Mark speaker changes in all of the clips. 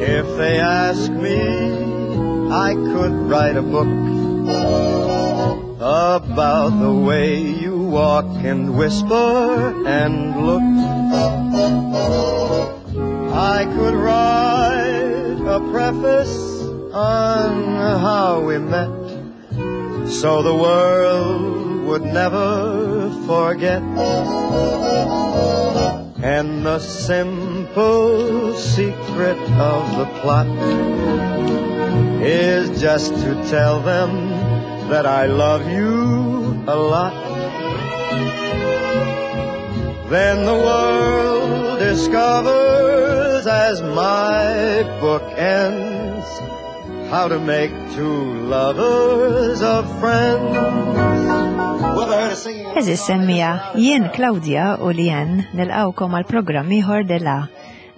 Speaker 1: If they ask me, I could write a book about the way you walk and whisper and look. I could write a preface on how we met so the world would never forget. And the simple secret of the plot is just to tell them that I love you a lot. Then the world discovers as my book ends how to make two lovers of friends.
Speaker 2: Eżis semmija, jien Claudia u Lien nilqawkom għal programm ieħor dela.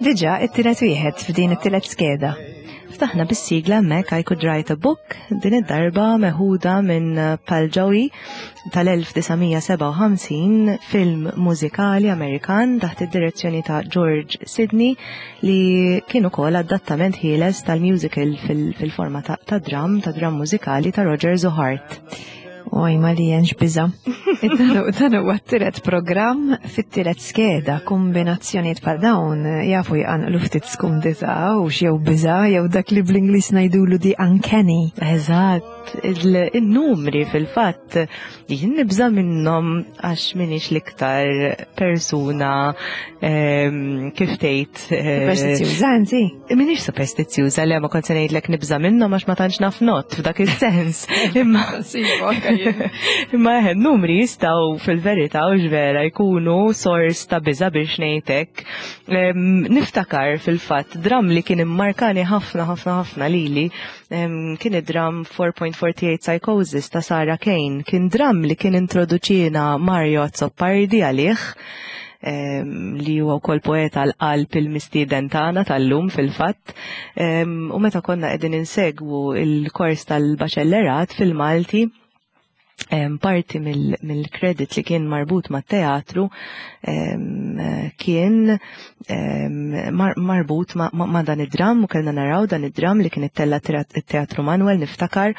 Speaker 2: Diġà it-tielet wieħed f'din it-tielet skeda.
Speaker 3: Ftaħna bis-sigla hemmhekk I Could Write a Book, din id-darba meħuda minn Pal Joey tal-1957, film mużikali Amerikan taħt id-direzzjoni ta' George Sidney li kien ukoll adattament ħieles tal-musical fil-forma ta' dram, ta' dram mużikali ta' Roger Zuhart.
Speaker 2: Oj, ma li jenx biza. Dan huwa t-tielet programm fit-tielet skeda, kombinazzjonijiet bħal dawn jafu jqanqlu ftit skumdità u jew biża jew dak li bl-Ingliż ngħidulu di uncanny.
Speaker 3: Eżatt, il-numri fil-fatt jien nibża minnhom għax minix l-iktar persuna ehm, kif tgħid.
Speaker 2: Eh, Superstizzjuża inti?
Speaker 3: Minix superstizzjuża li ma kont se ngħidlek nibża minnhom għax ma tantx naf not f'dak is-sens. Imma imma eħe numri jistgħu fil-verità u vera jkunu sors ta' biża biex ngħidlek. Niftakar fil-fatt dram li kien immarkani ħafna ħafna ħafna lili kien id-dram 4.48 Psychosis ta' Sarah Kane. Kien dram li kien introduċina Mario Azzopardi għalih li huwa wkoll poeta l-qalb il-mistieden tagħna tal-lum fil-fatt. U meta konna qegħdin insegwu il-kors tal-baċellerat fil-Malti, parti mill-kredit li kien marbut ma' teatru kien marbut ma' dan id-dram u kellna naraw dan id-dram li kien ittella teatru Manuel niftakar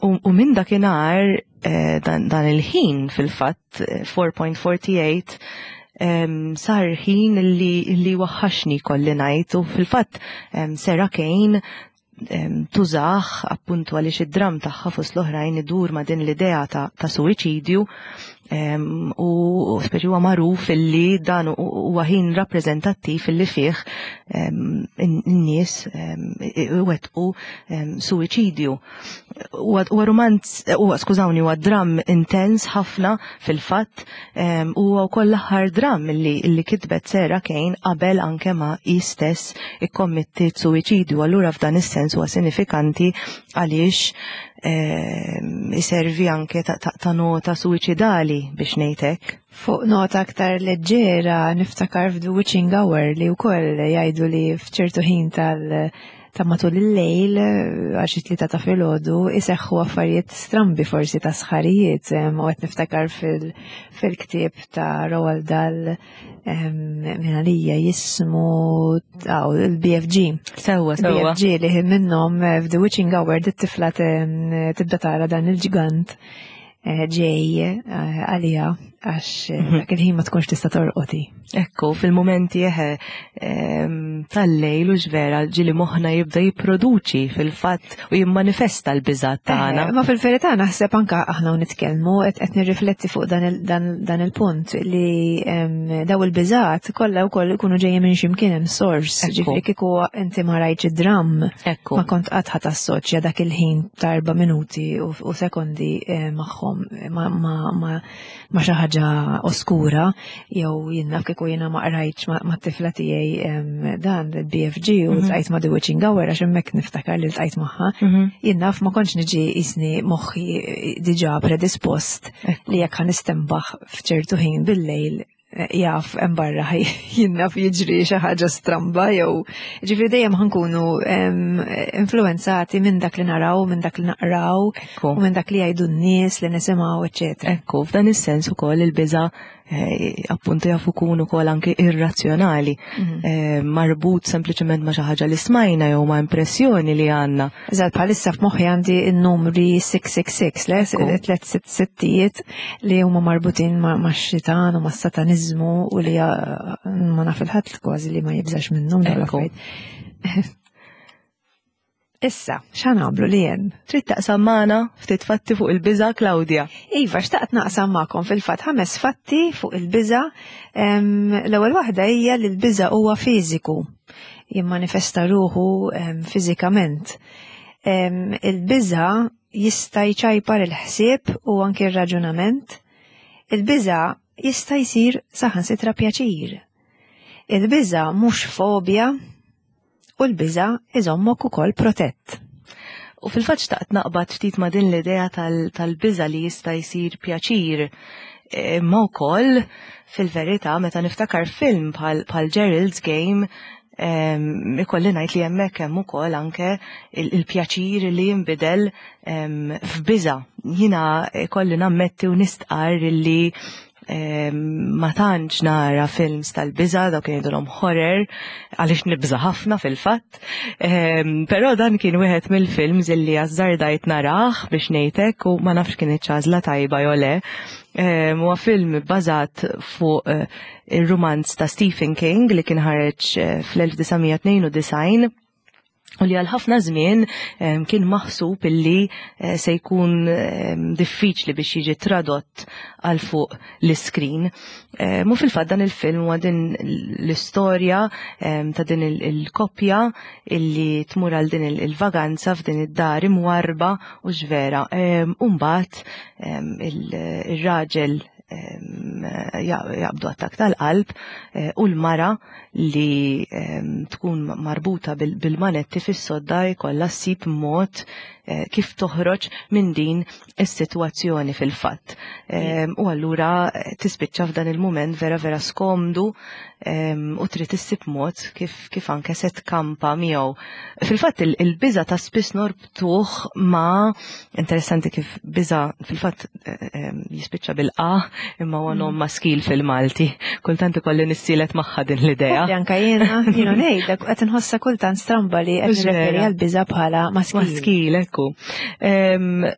Speaker 3: u minn dakinhar eh, dan il-ħin fil-fatt 4.48 eh, sar ħin li, li waħħaxni kolli ngħid u fil-fatt Sarah Kane tużaħ appuntu għaliex id-dram tagħha fost l-oħrajn idur ma' din l-idea ta', ta suwiċidju u speċi huwa magħruf illi dan huwa ħin rappreżentattiv illi fih in-nies iwettqu suwiċidju. Huwa romanz, huwa skużawni, huwa dram intens ħafna fil-fatt u huwa wkoll l-aħħar dram illi, illi kitbet Sarah Kane qabel anke ma hi stess ikkommittiet suwiċidju. Allura f'dan is-sens huwa sinifikanti għaliex iservi anke ta' nota suwiċidali biex ngħid hekk.
Speaker 2: Fuq nota aktar leġġera niftakar f'The Witching Hour li wkoll jgħidu li f'ċertu ħin tal- ta' matul il-lejl għal xi tlieta ta' filgħodu iseħħu affarijiet strambi forsi ta' sħarijiet u qed niftakar fil-ktieb ta' Roald Dahl minn għalija jismu il-BFG.
Speaker 3: Sewwa, sewwa.
Speaker 2: BFG li minnhom eh, f'The Witching Hour dit-tifla tibda tara dan il-ġgant eh, ġej eh, għalija għax mhm. dak il-ħin ma tkunx tista' torqoti.
Speaker 3: Ekku, fil-momenti eħe tal-lejl u ġvera ġili moħna jibda jipproduċi fil-fatt u jimmanifesta l-biżat tagħna.
Speaker 2: Ma fil-verità naħseb anka aħna u nitkellmu qed nirrifletti fuq dan il-punt li daw il-biżat kollha wkoll ikunu ġejjin minn x'imkien hemm sors. Ġifieri kieku inti ma rajtx id-dramm ma kont qatt ħadd assoċja dak il-ħin ta' erba' minuti u sekondi eh, magħhom ma' ma' xi ħaġa oskura jew jien naf kieku jiena ma qrajtx mat-tifla tiegħi dan il-BFG u mhm. tqajt ma' The Witching Hour għax hemmhekk niftakar li ltqajt magħha. Mhm. Jien naf ma kontx niġi jisni moħħi diġà predispost li jekk ħanistembaħ f'ċertu ħin bil-lejl jaf hemm barra jien naf jiġri xi ħaġa stramba jew ġifieri dejjem ħankunu influenzati minn dak li naraw, minn dak li naqraw u minn dak li jgħidu n-nies li nisimgħu, eċetera.
Speaker 3: Ekku, f'dan is-sens ukoll il-biża' eh, appuntu jafu kunu kol anki irrazzjonali, mhm. eh, marbut sempliċement ma xi ħaġa li smajna jew ma impressjoni li għandna.
Speaker 2: Eżatt, bħalissa f'moħħi għandi n-numri 666, le, tlet sitt sittijiet li huma marbutin ma' xitan u ma' sataniżmu u li eh, ma naf il-ħadd kważi li ma jibżax minnhom dawn l-affarijiet. Issa, x'għan għamlu li jen?
Speaker 3: Trid taqsam magħna ftit fatti fuq il-biża' Claudia.
Speaker 2: Iva, xtaqt naqsam magħkom fil-fatt ħames fatti fuq il-biża'. L-ewwel waħda hija li l-biża' huwa fiżiku, jimmanifesta ruħu fiżikament. Il-biża' jista' jċajpar il-ħsieb u anki r-raġunament. Il-biża' jista' jsir saħansitra pjaċir. Il-biża' mhux fobja, u l-biża' iżommok ukoll protett.
Speaker 3: U fil-fatt xtaqt naqbad ftit ma' din l-idea tal-biża' li jista' jsir pjaċir. Imma wkoll fil-verità meta niftakar film bħal Gerald's Game ikolli ngħid li hemmhekk hemm ukoll anke il-pjaċir li jinbidel f'biża'. Jiena ikolli nammetti u nistqarr li ma tantx nara films tal-biża, dawk jgħidulhom horror, għaliex nibża ħafna fil-fatt. Però dan kien wieħed mill-films illi azzardajt narah biex ngħidlek u ma nafx kien ċażla tajba jew le. Huwa film bbażat fuq eh, ir-rumanz ta' Stephen King li kien ħareġ eh, fl-1992 u li għal ħafna żmien kien maħsub illi eh, se jkun diffiċli biex jiġi tradott għal fuq l-iskrin. Mu fil-fatt dan il-film huwa din l-istorja ta' din il-koppja illi tmur għal din il-vaganza f'din id-dar imwarba u ġvera. U mbagħad il-raġel jaqbdu attak tal-qalb eh, u l-mara li tkun marbuta bil-manetti fis-sodda jkollha ssib mod eh, kif toħroġ minn din is-sitwazzjoni fil-fatt. U allura eh, tispiċċa f'dan il-mument vera vera skomdu u trid issib mod kif, kif anke se tkampa miegħu. Fil-fatt il-biża ta' spiss norbtuh ma' interessanti kif biża fil-fatt eh, eh, jispiċċa bil-qa imma huwa nom mm. maskil fil-Malti. Kultant ikolli nissielet magħha din l-idea.
Speaker 2: Anka jiena, jiena ngħidlek qed inħossha kultant stramba li qed nirreferi għal biża bħala maskil.
Speaker 3: Maskil, ekku.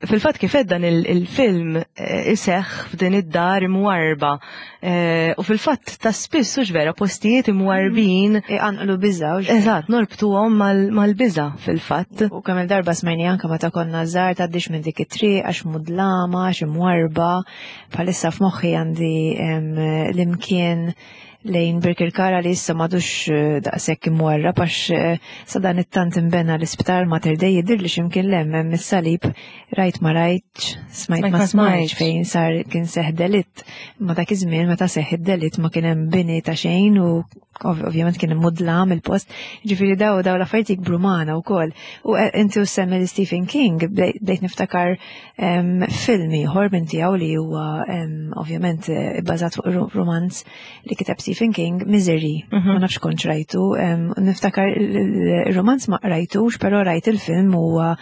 Speaker 3: Fil-fatt kif dan il-film eh, iseħħ f'din id-dar imwarba Eh, u fil-fatt ta' spiss hux vera postijiet imwarbin.
Speaker 2: Mm. Iqanqlu biża.
Speaker 3: Eżatt, norbtuhom mal-biża fil-fatt.
Speaker 2: U kemm il-darba smajni anke meta konna żgħar tgħaddix minn dik it-triq għax mudlama, għax imwarba. Bħalissa f'moħħi għandi l-imkien lejn Birkirkara li issa madux eh, daqshekk imwarrab għax eh, sa dan it-tant imbena l-isptar Mater Dei jidhir li x'imkien lem hemm is-salib rajt ma rajtx, smajt ma smajtx fejn sar kien seħ delitt. Ma dak iż-żmien meta seħ id-delitt ma kien hemm bini ta' xejn u ovvjament kien hemm mudlam il-post. Ġifieri daw daw l-affarijiet jikbru magħna wkoll. U eh, inti u semmi li Stephen King bdejt niftakar film ieħor minn tiegħu li huwa ovvjament eh, bbażat fuq romanz li kiteb Stephen King, Misery. Mhm. Ma nafx kontx rajtu. Niftakar il-romanz ma rajtux, però rajt il-film huwa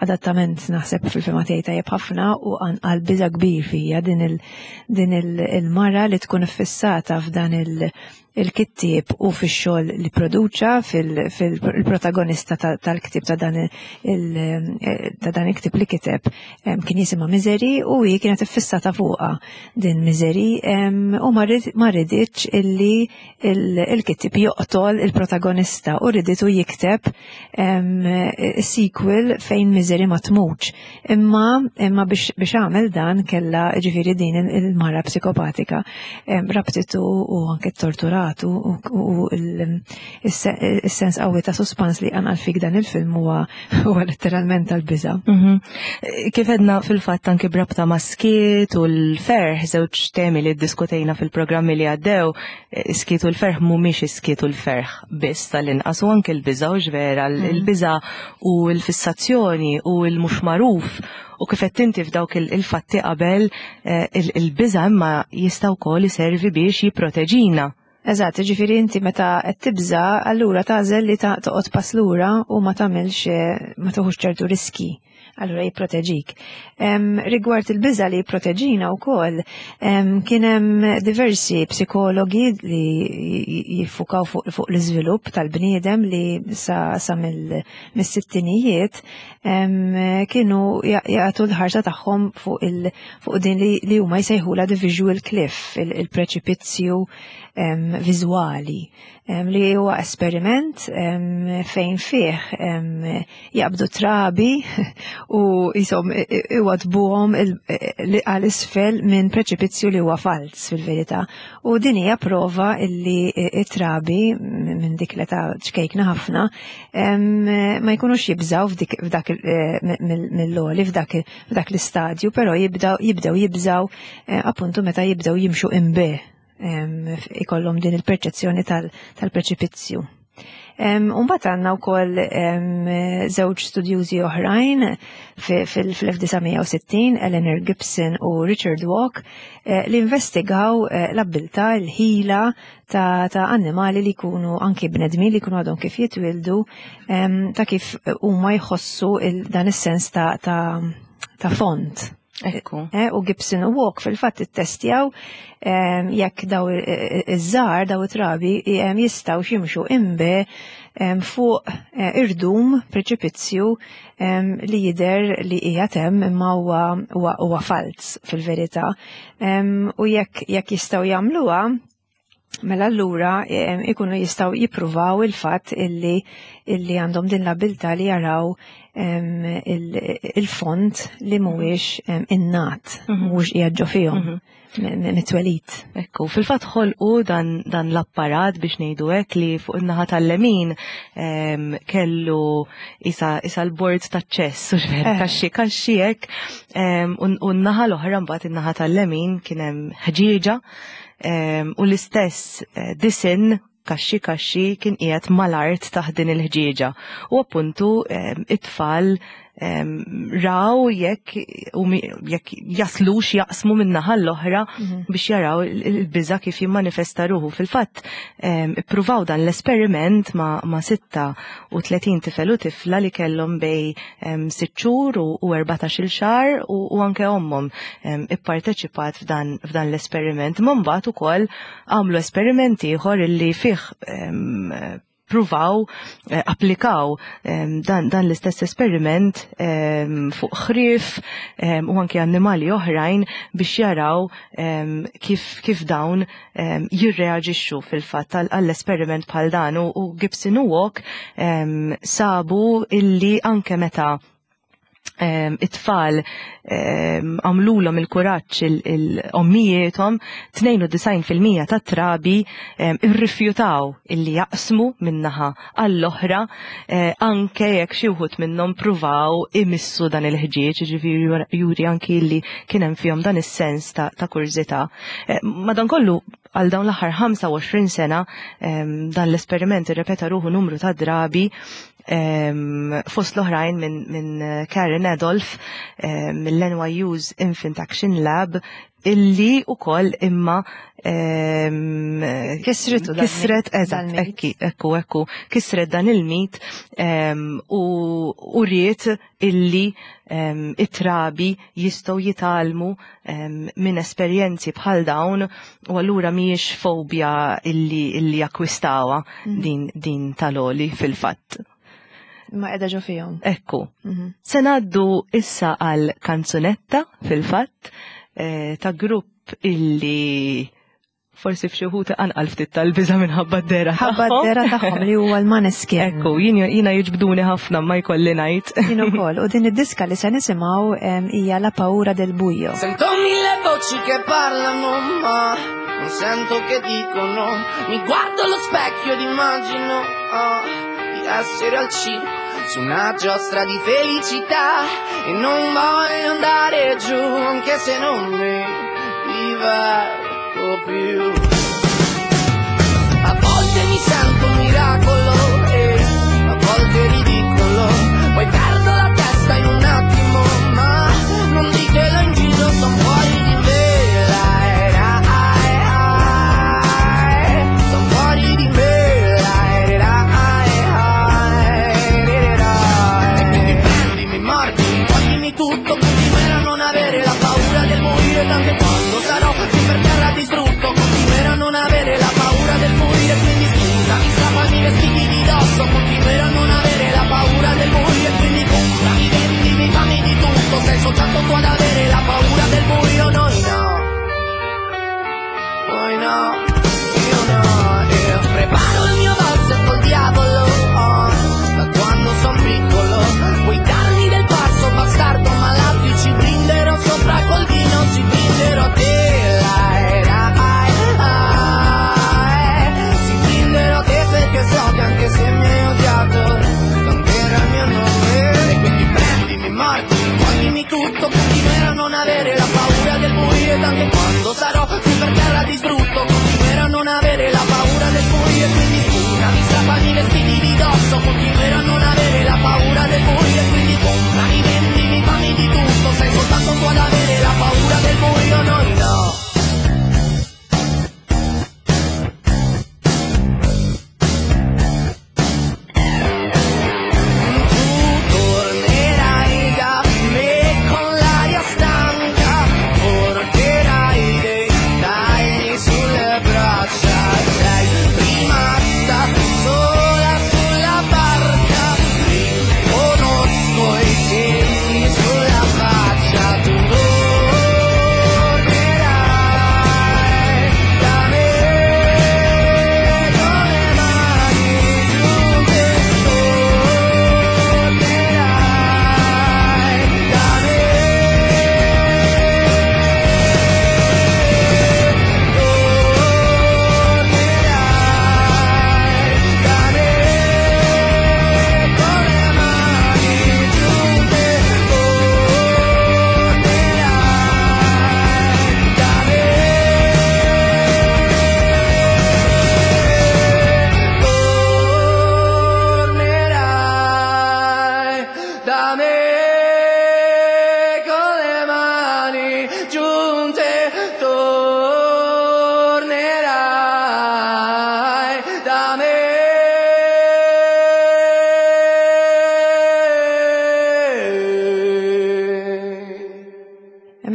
Speaker 2: adattament naħseb fil-fema tiegħi tajjeb ħafna u għal biża kbir fija din il-mara li tkun iffissata f'dan il- il-kittieb u fix-xogħol li produċa fil-protagonista tal-ktieb ta' dan ta' dan il-ktieb li kiteb kien jisimha Misery u hi kienet iffissata fuqha din Misery u ma riditx illi il-kittieb joqtol il-protagonista u riditu jikteb sequel fejn Misery ma tmutx. Imma imma biex għamel dan kella ġifieri din il-mara psikopatika rabtitu u anke torturatu u il-sens qawwi ta' suspans li għanqal fik dan il-film huwa huwa letteralment tal-biża.
Speaker 3: Mhm. Kif edna fil-fatt anke brabta ma' skiet u l-ferħ, żewġ temi li ddiskutejna fil-programmi li għaddew, skiet u l-ferħ mhumiex is-skiet u l-ferħ biss tal-inqas u anke l-biża' u vera, mhm. il-biża' u l-fissazzjoni u l-mhux magħruf u kif qed inti f'dawk il-fatti qabel eh, il-biża' imma jista' wkoll iservi biex jipproteġina.
Speaker 2: Eżatt, ġifieri inti meta qed tibża, allura tagħżel li toqgħod pass lura u ma tagħmilx eh, ma tuħux ċertu riski. Allura jipproteġik. Rigward il-biża li jipproteġina wkoll, kien hemm diversi psikologi li jiffukaw fuq l-iżvilupp tal-bniedem li sa, sa mill-sittinijiet kienu jagħtu l-ħarsa tagħhom fuq il fuq din li huma jsejħula the visual cliff, il-preċipizzju viżwali li huwa esperiment fejn fih jaqbdu trabi u jisom iwadbuhom għal isfel minn preċipizzju li huwa falz fil-verità. U din hija prova illi it-trabi minn dik l-età ċkejkna ħafna ma jkunux jibżaw f'dak eh, mill-loli f'dak l-istadju, però jibdew jibżaw eh, appuntu meta jibdew jimxu imbe ikollhom din il-perċezzjoni tal-preċipizzju. Umbat għanna u koll żewġ studjużi oħrajn fil-1960, Eleanor Gibson u Richard Walk, eh, li investigaw eh, l-abbilta, l-ħila ta' annimali li jkunu anki bnedmin li jkunu għadhom kif jitwildu, ta' kif huma jħossu dan is-sens ta' font.
Speaker 3: Ekku.
Speaker 2: Eh, u Gibson u Walk fil-fatt ittestjaw jekk daw iż-żar, daw it-trabi jistgħu ximxu imbe fuq eh, irdum preċipizzju li jider li qiegħed hemm imma huwa falz fil-verità. U jekk jekk jistgħu jagħmluha, Mela allura ikunu jistgħu jippruvaw il-fatt illi illi għandhom din l-abilità li jaraw il-font li mhuwiex innat, mhuwiex qiegħed ġo fihom mit-twelid.
Speaker 3: Ekku, fil-fatt ħolqu dan, dan l-apparat biex ngħidu hekk li fuq in-naħa tal-lemin kellu isa, isa l-bord ta' ċess, u xver, kaxxi, kaxxi hekk, u n-naħa l-oħra mbagħad in-naħa tal-lemin kien hemm ħġieġa u l-istess eh, disin kaxxi kaxxi kien qiegħed mal-art taħt din il-ħġieġa. U appuntu it-tfal raw jekk jekk jaslux jaqsmu min-naħa l-oħra biex jaraw il-biża kif jimmanifesta ruħu. Fil-fatt ippruvaw dan l-esperiment ma' 36 tifel u tifla li kellhom bej 6 xhur u 14-il xahar u anke ommhom ipparteċipat f'dan l-esperiment. Ma mbagħad ukoll għamlu esperiment ieħor illi fih pruvaw eh, applikaw dan, dan l-istess esperiment fuq ħrief u anke annimali oħrajn biex jaraw kif, kif dawn jirreaġixxu fil-fatt għall-esperiment bħal dan u Gibson u Walk sabu illi anke meta it-tfal għamlulhom il-kuraġġ il-ommijietom, 92% tat-trabi irrifjutaw illi jaqsmu minnaħa għall-oħra eh, anke jekk xi wħud minnhom pruvaw imissu dan il-ħġieġ, ġifieri juri anki li kien hemm fihom dan is-sens ta', ta kurżità. Eh, madankollu għal dawn l-aħħar 25 sena dan l-esperiment irrepeta ruħu numru ta' drabi fost l-oħrajn minn min Karen Adolf mill-NYU's Infant Action Lab illi u koll imma
Speaker 2: kisritu
Speaker 3: kisret eżatt ekki ekku ekku kisret dan il-mit u uriet illi it-trabi jistgħu jitgħallmu minn esperjenzi bħal dawn u allura mhijiex fobja illi illi jakkwistawha din din tal-oli fil-fatt.
Speaker 2: Ma qiegħda ġo fihom.
Speaker 3: Ekku. Se ngħaddu issa għal kanzunetta fil-fatt eh, ta' grupp illi forsi f'xi wħud anqal ftit tal-biża' minħabba d-dera
Speaker 2: Ħabba d-dera tagħhom li huwa l-Maneskin.
Speaker 3: Ekku, jiena jiġbduni ħafna ma jkolli ngħid.
Speaker 2: Jien ukoll, u din id-diska li se nisimgħu hija La Paura del Buio.
Speaker 4: Sento mille voci che parlano ma non sento che dicono. Mi guardo allo specchio ed immagino oh, di essere al circo su una giostra di felicità e non voglio andare giù anche se non mi diverto più. A volte mi sento un miracolo e a volte ridicolo, poi perdo la testa in un attimo, ma non ditelo in giro, son fuori di me. La, la, son fuori di me. La, la, la, la. E quindi prendi, mi mordi, mi togli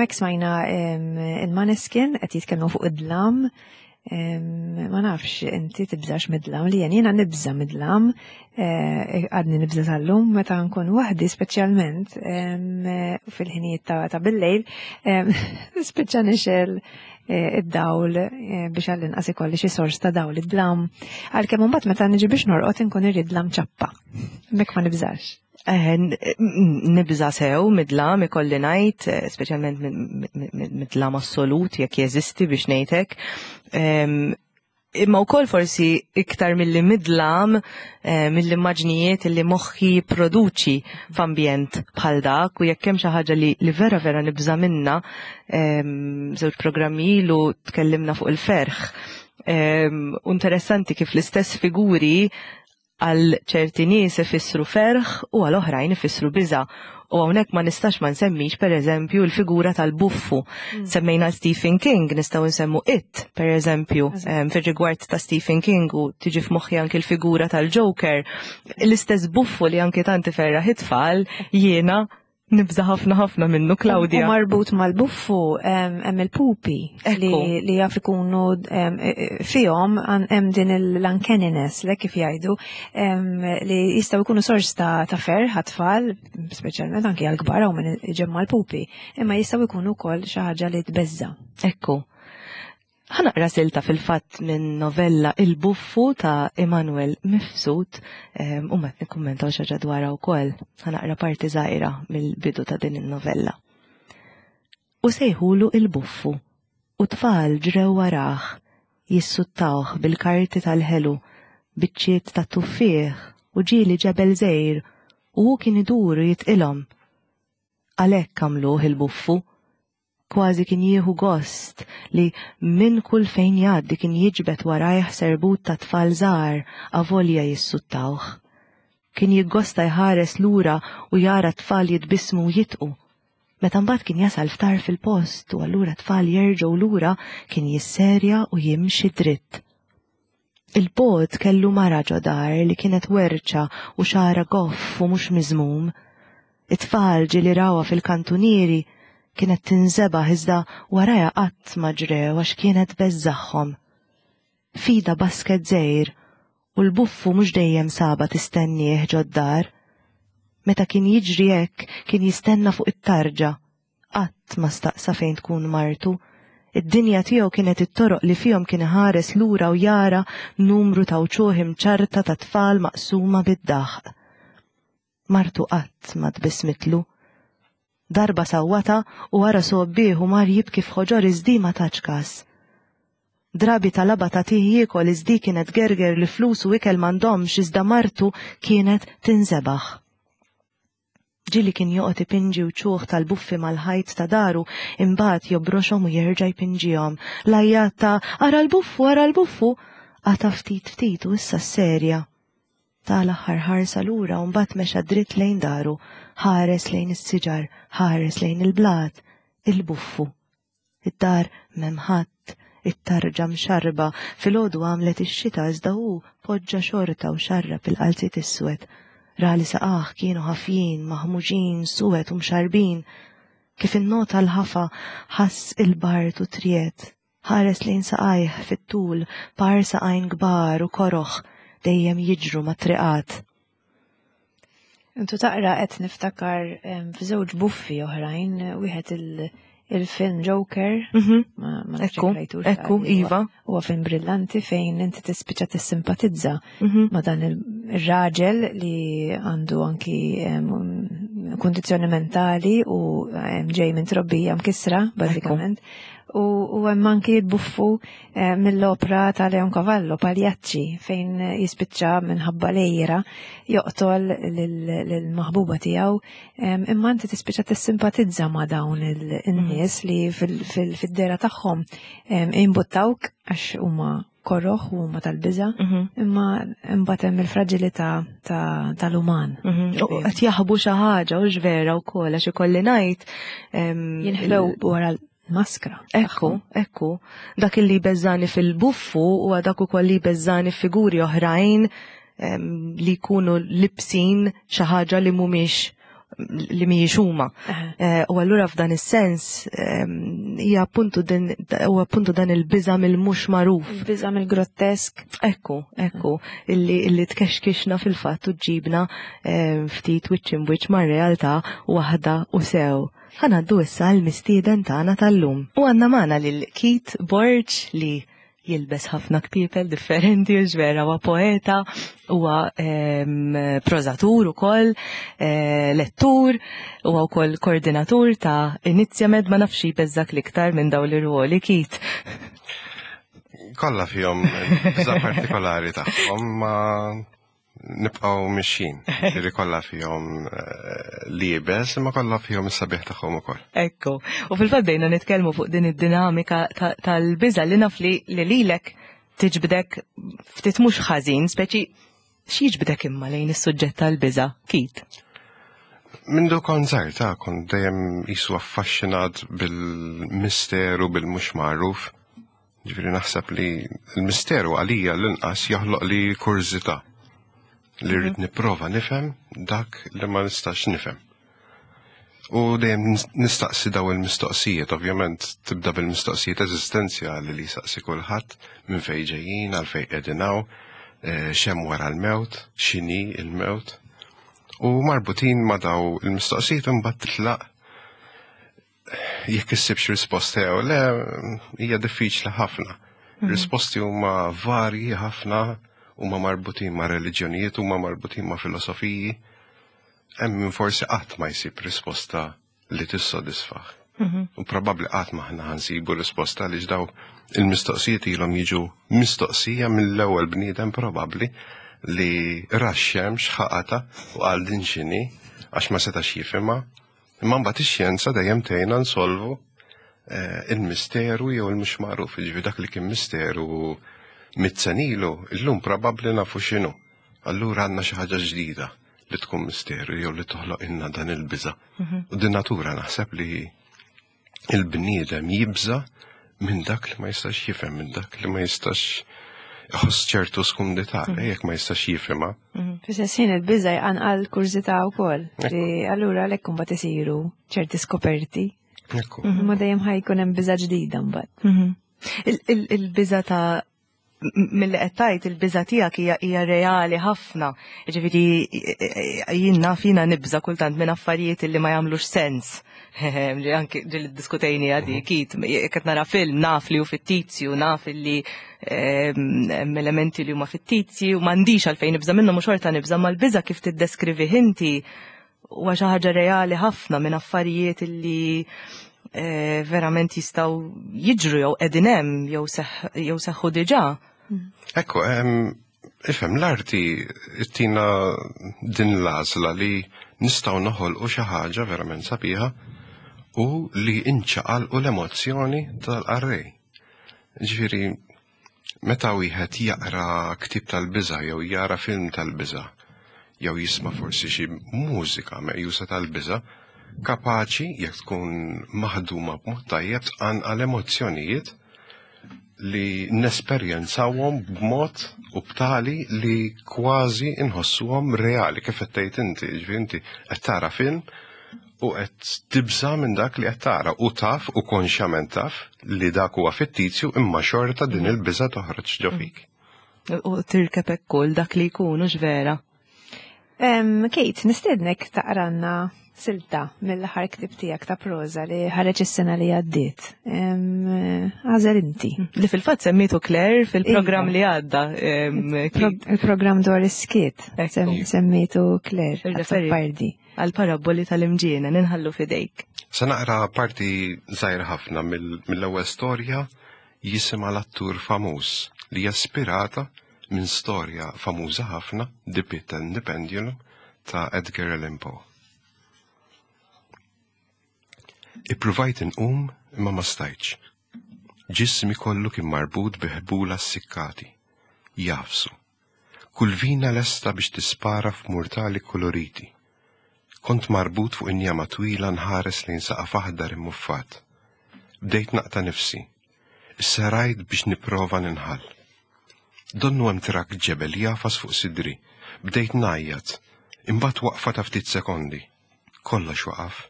Speaker 2: Hemmhekk smajna il-Maneskin qed jitkellmu fuq id-dlam. Ma nafx inti tibżax mid-dlam li jien jiena nibża mid-dlam, eh, għadni nibża tal-lum meta nkun waħdi speċjalment fil-ħinijiet ta' bil-lejl, spiċċa nixel eh, id-dawl eh, biex għall-inqas ikolli xi sors ta' dawl id-dlam. Għalkemm imbagħad meta niġi biex norqod inkun irrid dlam ċappa. Mek ma nibżax.
Speaker 3: Eh, nibża sew midlam ikolli ngħid, eh, speċjalment midlam assolut jekk jeżisti biex ngħidlek. Imma wkoll forsi iktar milli midlam eh, mill-immaġnijiet li moħħi jipproduċi f'ambjent bħal dak u jekk hemm xi ħaġa li, li vera vera nibża minna, żewġ programmi ilu tkellimna fuq il-ferħ. U interessanti kif l-istess figuri Għal ċerti nies ifissru ferħ u għal oħrajn ifissru biża'. U hawnhekk ma nistax ma nsemmix pereżempju l-figura tal-buffu. Mm. Semmejna Stephen King, nistgħu nsemmu It, pereżempju, fir-rigward ta' Stephen King u tiġi f'moħħi anki l-figura tal-Joker. L-istess buffu li anki tant iferraħ it-tfal jiena Nibża ħafna ħafna minnu Claudia.
Speaker 2: U marbut mal-buffu hemm il-pupi li jaf ikunu e, e, fihom hemm din l-uncanniness le kif jgħidu li jistgħu jkunu sors ta' ferħ għat-tfal, speċjalment anki għall-kbar hawn min iġemma l-pupi, imma jistgħu jkunu wkoll xi ħaġa li tbeżża.
Speaker 3: Ekku. Ħa naqra silta fil-fatt minn novella Il-Buffu ta' Immanuel Mifsud ehm, u mbagħad nikkummentaw xi ħaġa dwarha wkoll. Ħa naqra parti żgħira mill-bidu ta' din in-novella. U sejħulu il-buffu u tfal ġrew warah jissuttawh bil-karti tal-ħelu, biċċiet ta' tuffieħ u ġieli ġebel żgħir u hu kien idur u jitqilhom. Għalhekk għamluh il-buffu Kważi kien jieħu gost li minn kull fejn jgħaddi kien jiġbed warajh serbut ta' tfal żgħar avolja jissuttawh. Kien jiggosta jħares lura u jara t-tfal jitbissmu u jidqu. Meta mbagħad kien jasal f'tarf il-post u allura t-tfal jerġgħu lura kien jisserja u jimxi dritt. Il-bogħod kellu mara ġo dar li kienet werċa u xagħarha goff u mhux miżmum. It-tfal ġieli rawha fil-kantunieri, kienet tinżebaħ iżda warajha qatt ma ġrew għax kienet tbeżżagħhom. F'idha basket żgħir u l-buffu mhux dejjem sabha tistennieh ġod-dar. Meta kien jiġri hekk kien jistenna fuq it-tarġa Qatt ma staqsa fejn tkun martu. Id-dinja tiegħu kienet it-toroq li fihom kien iħares lura u jara numru ta' wċuħ imċarrta ta' tfal maqsuma bid-daħq. Martu qatt ma tbissmitlu. Darba sawwatha u wara sgħobbih u mar jibki f'ħoġor iżdi ma tatx kas. Drabi talabha tagħtih jiekol iżdi kienet tgerger li flus u ikel m'għandhomx iżda martu kienet tinżebaħ. Ġieli kien joqgħod ipinġi wċuħ tal-buffi mal-ħajt ta' daru, imbagħad jobroxhom u jerġa' jpinġihom. L-għajjat ta' Ara l-buffu, ara l-buffu! qata' ftit ftit u issa sserja. Ta l-aħħar ħarsa lura u mbagħad mexa dritt lejn daru, ħares lejn is-siġar, ħares lejn il-blat, il-buffu. Id-dar m'hemm ħadd, it-tarġa mxarrba, filgħodu għamlet ix-xita iżda hu poġġa xorta u xarrab il-qalziet iswed. Ra li saqajh kienu ħafjin, maħmuġin, suwed u mxarrbin. Kif innota l-ħafa, ħass il-bard u triegħed. Ħares lejn saqajh fit-tul, par saqajn kbar u koroh dejjem jiġru mat-triqat.
Speaker 2: Intu taqra qed niftakar f'żewġ buffi oħrajn, wieħed il-film Joker, mhm. ma
Speaker 3: ekku, ekku, iva.
Speaker 2: Huwa film brillanti fejn inti tispiċċa tissimpatizza mhm. ma dan il-raġel li għandu anki kundizzjoni mentali u ġej minn trobbija mkissra, bażikament. U hemm anki buffu eh, mill-opra ta' Leon Cavallo, Pagliacci, fejn jispiċċa minħabba lejra joqtol lill-maħbuba tiegħu, imma inti tispiċċa tissimpatizza ma' dawn in-nies li fid-dera tagħhom imbuttawk għax huma korroħ u huma tal-biża, mhm. imma imbagħad hemm il-fraġilità tal-uman.
Speaker 3: Mhm. Qed jaħbu xi ħaġa u vera wkoll għax ikolli ngħid.
Speaker 2: Jinħbew wara maskra.
Speaker 3: Ekku, ekku. Dak li beżani fil-buffu u dak ukoll li beżani figuri oħrajn li jkunu libsin xi ħaġa li mhumiex. li mhijiex huma. Eh, u allura f'dan is-sens ehm, hija appuntu din huwa appuntu dan il-biża' mill-mhux magħruf.
Speaker 2: Il-biża' mill-grottesk.
Speaker 3: Ekku, ekku, illi illi tkexkixna fil-fatt u ġibna ehm, ftit wiċċ imwiċċ mar-realtà waħda u sew. Ħanaddu issa l-mistieden tagħna tal-lum. U għandna magħna lil Keith Borg li jilbes ħafna kpiepel differenti, u vera huwa poeta, huwa ehm, prożatur ukoll, eh, lettur, huwa wkoll koordinatur ta' Inizjamed ma nafx jbeżżak l-iktar minn dawn l-irwoli Kit.
Speaker 5: Kollha fihom biża' partikolari tagħhom ma nibqgħu mixjin. Ġifieri kollha fihom eh, liebes, imma kollha fihom is-sabiħ tagħhom ukoll.
Speaker 3: Ekku. U fil-fatt bdejna nitkellmu fuq din id-dinamika tal-biża' li naf li lilek tiġbdek ftit mhux ħażin, speċi x'jiġbdek imma lejn is-suġġett tal-biża', Kit?
Speaker 5: Mindu kont żgħir ta' kont dejjem jisu affaxxinat bil-misteru, bil-mhux magħruf. Ġifieri naħseb li l-misteru għalija l-inqas joħloq li kurżità li rrid mhm. nipprova nifhem dak li ma nistax nifhem. U dejjem nistaqsi daw il-mistoqsijiet, ovvjament tibda bil-mistoqsijiet eżistenzjali li jistaqsi kulħadd minn fejn ġejjin, għal fejn qegħdin hawn, eh, x'hemm wara l-mewt, x'inhi l-mewt. U marbutin ma' daw il-mistoqsijiet imbagħad titlaq jekk issibx risposta jew le hija diffiċli ħafna. Mhm. Risposti huma varji ħafna, huma marbutin ma' reliġjonijiet, huma marbutin ma' filosofiji. Hemm min forsi qatt ma jsib risposta li tissodisfah. Mhm. U probabbli qatt ma aħna ħansibu risposta li daw il-mistoqsijiet ilhom jiġu mistoqsija mill-ewwel bniedem probabbli li ra x-xemx ħaqata u qal din x'inhi għax ma setax jifhimha Imma mbagħad ix-xjenza dejjem tgħinna nsolvu eh, il-misteru jew il-mhux magħruf, jiġifieri dak li kien misteru mit-senilu, illum probabbli nafu x'inhu. Allura għandna xi ħaġa ġdida li tkun misteru jew li toħloq inna dan il-biża. Mhm. U din natura naħseb li il-bniedem jibża minn dak li ma jistax jifhem, minn dak li ma jistax iħoss ċertu skumdità, mm. jekk ma jistax jifhimha.
Speaker 2: Mm. Fis-sessin il-biża jqanqal kurżità wkoll. Li allura għalhekk imbagħad isiru ċerti skoperti. Mhm. Ma dejjem ħajkun hemm biża ġdida mbagħad.
Speaker 3: Mhm. Il-biża ta' mill-li qed tgħid il-biża' tiegħek hija hija reali ħafna. Jiġifieri jien naf jiena nibża' kultant minn affarijiet li ma jagħmlux sens. Li anke ġieli ddiskutejni għadi mhm. kit, qed nara film naf li hu fittizju, naf li hemm elementi li huma fittizji u m'għandix għalfejn nibża' minnhom u xorta nibża' mal-biża' kif tiddeskrivi inti huwa xi ħaġa reali ħafna minn affarijiet li eh, verament jistgħu jiġru jew qegħdin hemm jew seħħu diġà.
Speaker 5: Ekku, ifhem l-arti tina din l-għażla li nistgħu noħolqu xi ħaġa verament sabiħa u li inċaqalqu l-emozzjoni tal-qarrej. Ġifieri, Meta wieħed jaqra ktieb tal-biża' jew jara film tal-biża' jew jisma' forsi xi mużika meqjusa tal-biża', kapaċi, jekk tkun maħduma b'mod tajjeb, tqanqal emozzjonijiet li nesperjenzawhom b'mod u b'tali li kważi nħossuhom reali, kif qed tgħid inti, jiġifieri inti qed tara film u qed tibża' minn dak li qed tara u taf u konxjament taf li dak huwa fittizju imma xorta din mhm. il-biża' toħroġ ġo fik.
Speaker 3: U tirkeb hekk kull dak li jkun hux vera.
Speaker 2: Kate, nistednek taqranna silta mill-aħħar ktib tiegħek ta' proża li ħareġ is-sena li għaddiet. Għażel inti.
Speaker 3: Li fil-fatt semmitu Claire fil-programm iva. li għadda.
Speaker 2: Il-programm dwar is-skiet semmitu Claire. Pardi.
Speaker 3: Għall-parabboli tal-imġienen inħallu f'idejk.
Speaker 5: Se naqra parti żgħira ħafna mill-ewwel storja jisimha L-Attur Famuż li hija spirata minn storja famuża ħafna The Pit and the Pendulum ta' Edgar Allan Poe. Ippruvajt inqum imma ma stajtx. Ġismi kollu kien marbut bi ħbula ssikkati, jagħfsu. Kull vina lesta biex tispara f'murtali kkuluriti. Kont marbut fuq injama twila nħares lejn saqaf aħdar immuffat. Bdejt naqta' nifsi. Issa rajt biex nipprova ninħall. Donnu hemm trakk ġebel jagħfas fuq sidri. Bdejt ngħajjat. Imbagħad waqfa ta' ftit sekondi. Kollox waqaf,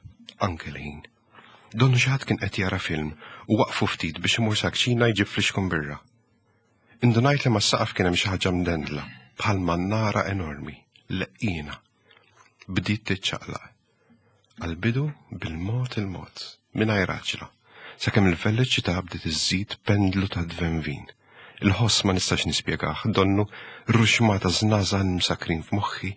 Speaker 5: anke l-ħin. Donnu xi ħadd kien qed jara film u waqfu ftit biex imur sa kċina jġib flixkun birra. Indunajt li mas-saqaf kien hemm xi ħaġa mdendla, bħal mannara enormi, leqqiena. Bdiet tiċċaqlaq. Għall-bidu bil-mod il-mod, mingħajr għaġla, sakemm il-veloċità bdiet iżżid pendlu ta' dvenvin. Il-ħoss ma nistax nispjegah, donnu ruxmata żnażan msakrin f'moħħi,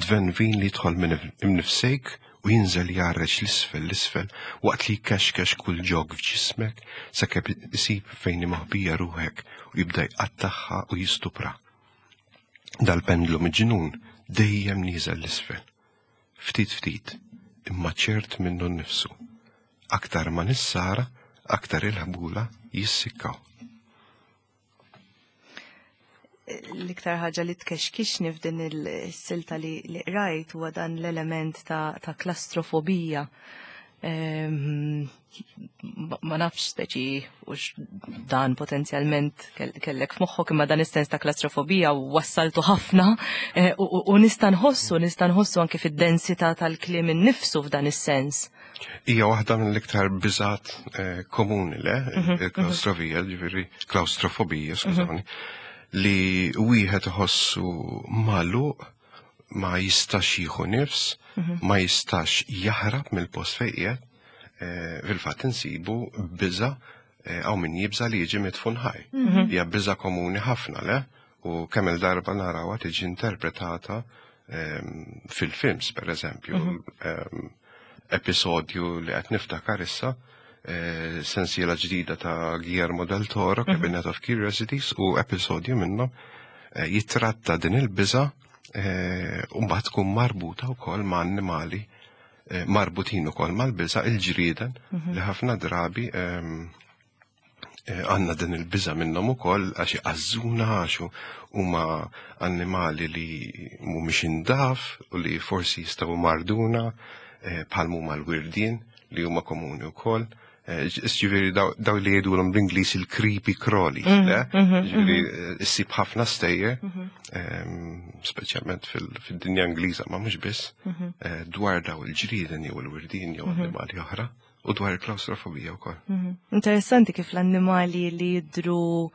Speaker 5: dvenvin li jidħol minn imnifsejk u jinżel jgħarreġ l-isfel l-isfel waqt li jkexkex kull ġog f'ġismek sakemm isib fejn hi moħbija ruħek u jibda jqattagħha u jistupra. Dal-pendlu miġnun dejjem nieżel l-isfel. Ftit ftit, imma ċert minnu nnifsu. Aktar ma nissara, aktar il-ħbula jissikkaw.
Speaker 3: L-iktar ħaġa li tkexkixni f'din il-silta li qrajt huwa dan l-element ta', ta klastrofobija. Ehm, ma nafx speċi u dan potenzjalment kellek f'moħħok imma dan is-sens ta' klastrofobija wassaltu ħafna eh, u nista' nħossu nista' nħossu anke fid-densità tal-kliem innifsu f'dan is-sens.
Speaker 5: Hija waħda mill-iktar biżat eh, komuni le, mhm, mhm. il-klaustrofija, ġifieri klaustrofobija, mhm. skużani, li wieħed iħossu magħluq ma jistax jieħu nifs, ma jistax jaħrab mill-post fejn qiegħed. Eh, fil-fatt insibu biża eh, hawn min jibża li jiġi mitfun ħaj. Hija biża komuni ħafna le, u kemm il-darba narawha tiġi interpretata ehm, fil-films per eżempju, mhm. ehm, episodju li qed niftakar issa, eh, sensiela ġdida ta' Guillermo del Toro, mhm. Cabinet of Curiosities, u episodju minnhom eh, jitratta din il-biża eh, u mbagħad tkun marbuta wkoll ma' annimali marbutin ukoll mal-biża il-ġrieden mhm. li ħafna drabi ehm, Eh, għanna din il-biża minnhom ukoll għax iqażżuna għax huma annimali li mhumiex indaf u li forsi jistgħu marduna eh, bħal huma l-wirdien li huma komuni wkoll. Eh, ġifieri daw li jgħidulhom bl-Ingliż il-creepy crawlies, mhm, le? Mhm, ġifieri mhm. issib ħafna stejjer, ehm, speċjalment fid-dinja Ingliża ma mhux biss, dwar daw il-ġrieden jew il-wirdien jew annimali oħra. U dwar il-klaustrofobija wkoll.
Speaker 3: Mhm. Interessanti kif l-annimali li jidru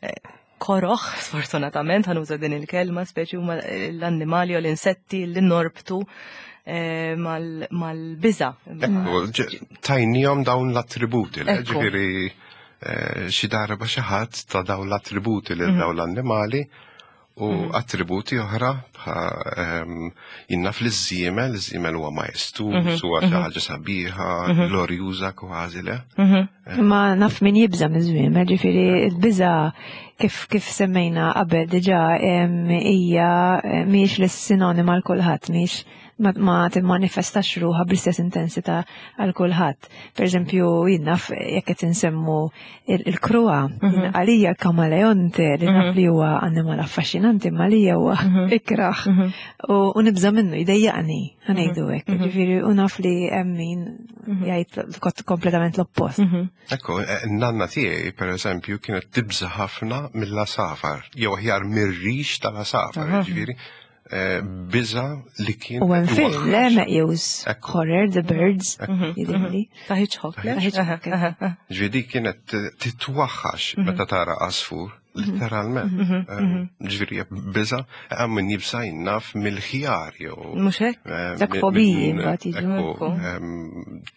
Speaker 3: eh, koroħ, sfortunatament, ħanuża din il-kelma, speċi huma l-annimali u l-insetti li norbtu eh, mal-biża.
Speaker 5: Ekku, tajnijom dawn l-attributi, ġifieri eh, xi darba xi ħadd ta' dawn l-attributi lil mhm. dawn l-annimali U mhm. attributi oħra ehm, jinna fl-żiemel, iż-żiemel huwa majestuż, mhm. huwa xi mhm. ħaġa sabiħa, glorjuża kważi le.
Speaker 2: Eh. Ma naf min jibża miż-żwiemel, ġifieri l-biża kif kif semmejna qabel diġà hija eh, mhijiex l-sinonima għal kulħadd, mhijiex ma timmanifestax ruħha bl-istess intensità għal kulħadd. Per eżempju, jien naf jekk qed insemmu il-kruha, mhm. għalija l-kamaleonte li naf mhm. li huwa annimal affaxxinanti ma lija huwa mhm. ikraħ u nibża minnu jdejjaqni ħanejdu hekk. Ġifieri u naf li hemm min jgħid kompletament l-oppost.
Speaker 5: Ekku, eh, nanna tiegħi per eżempju kienet tibża ħafna mill-asafar, jew aħjar mir-rix tal-asafar, ġifieri Eh, biża li kien.
Speaker 2: U hemm film le meqjus horror The Birds mhm,
Speaker 3: jidhirli. Mhm. Ta' Hitchcock.
Speaker 5: Ta' Hitchcock. Ġifieri kienet titwaħħax mhm. meta tara għasfur, letteralment. Eh, ġifieri biża hemm min jibsa jinnaf mill-ħjar jew.
Speaker 3: Mhux hekk?
Speaker 5: Eh,
Speaker 2: Dak fobiji mbagħad jiġu.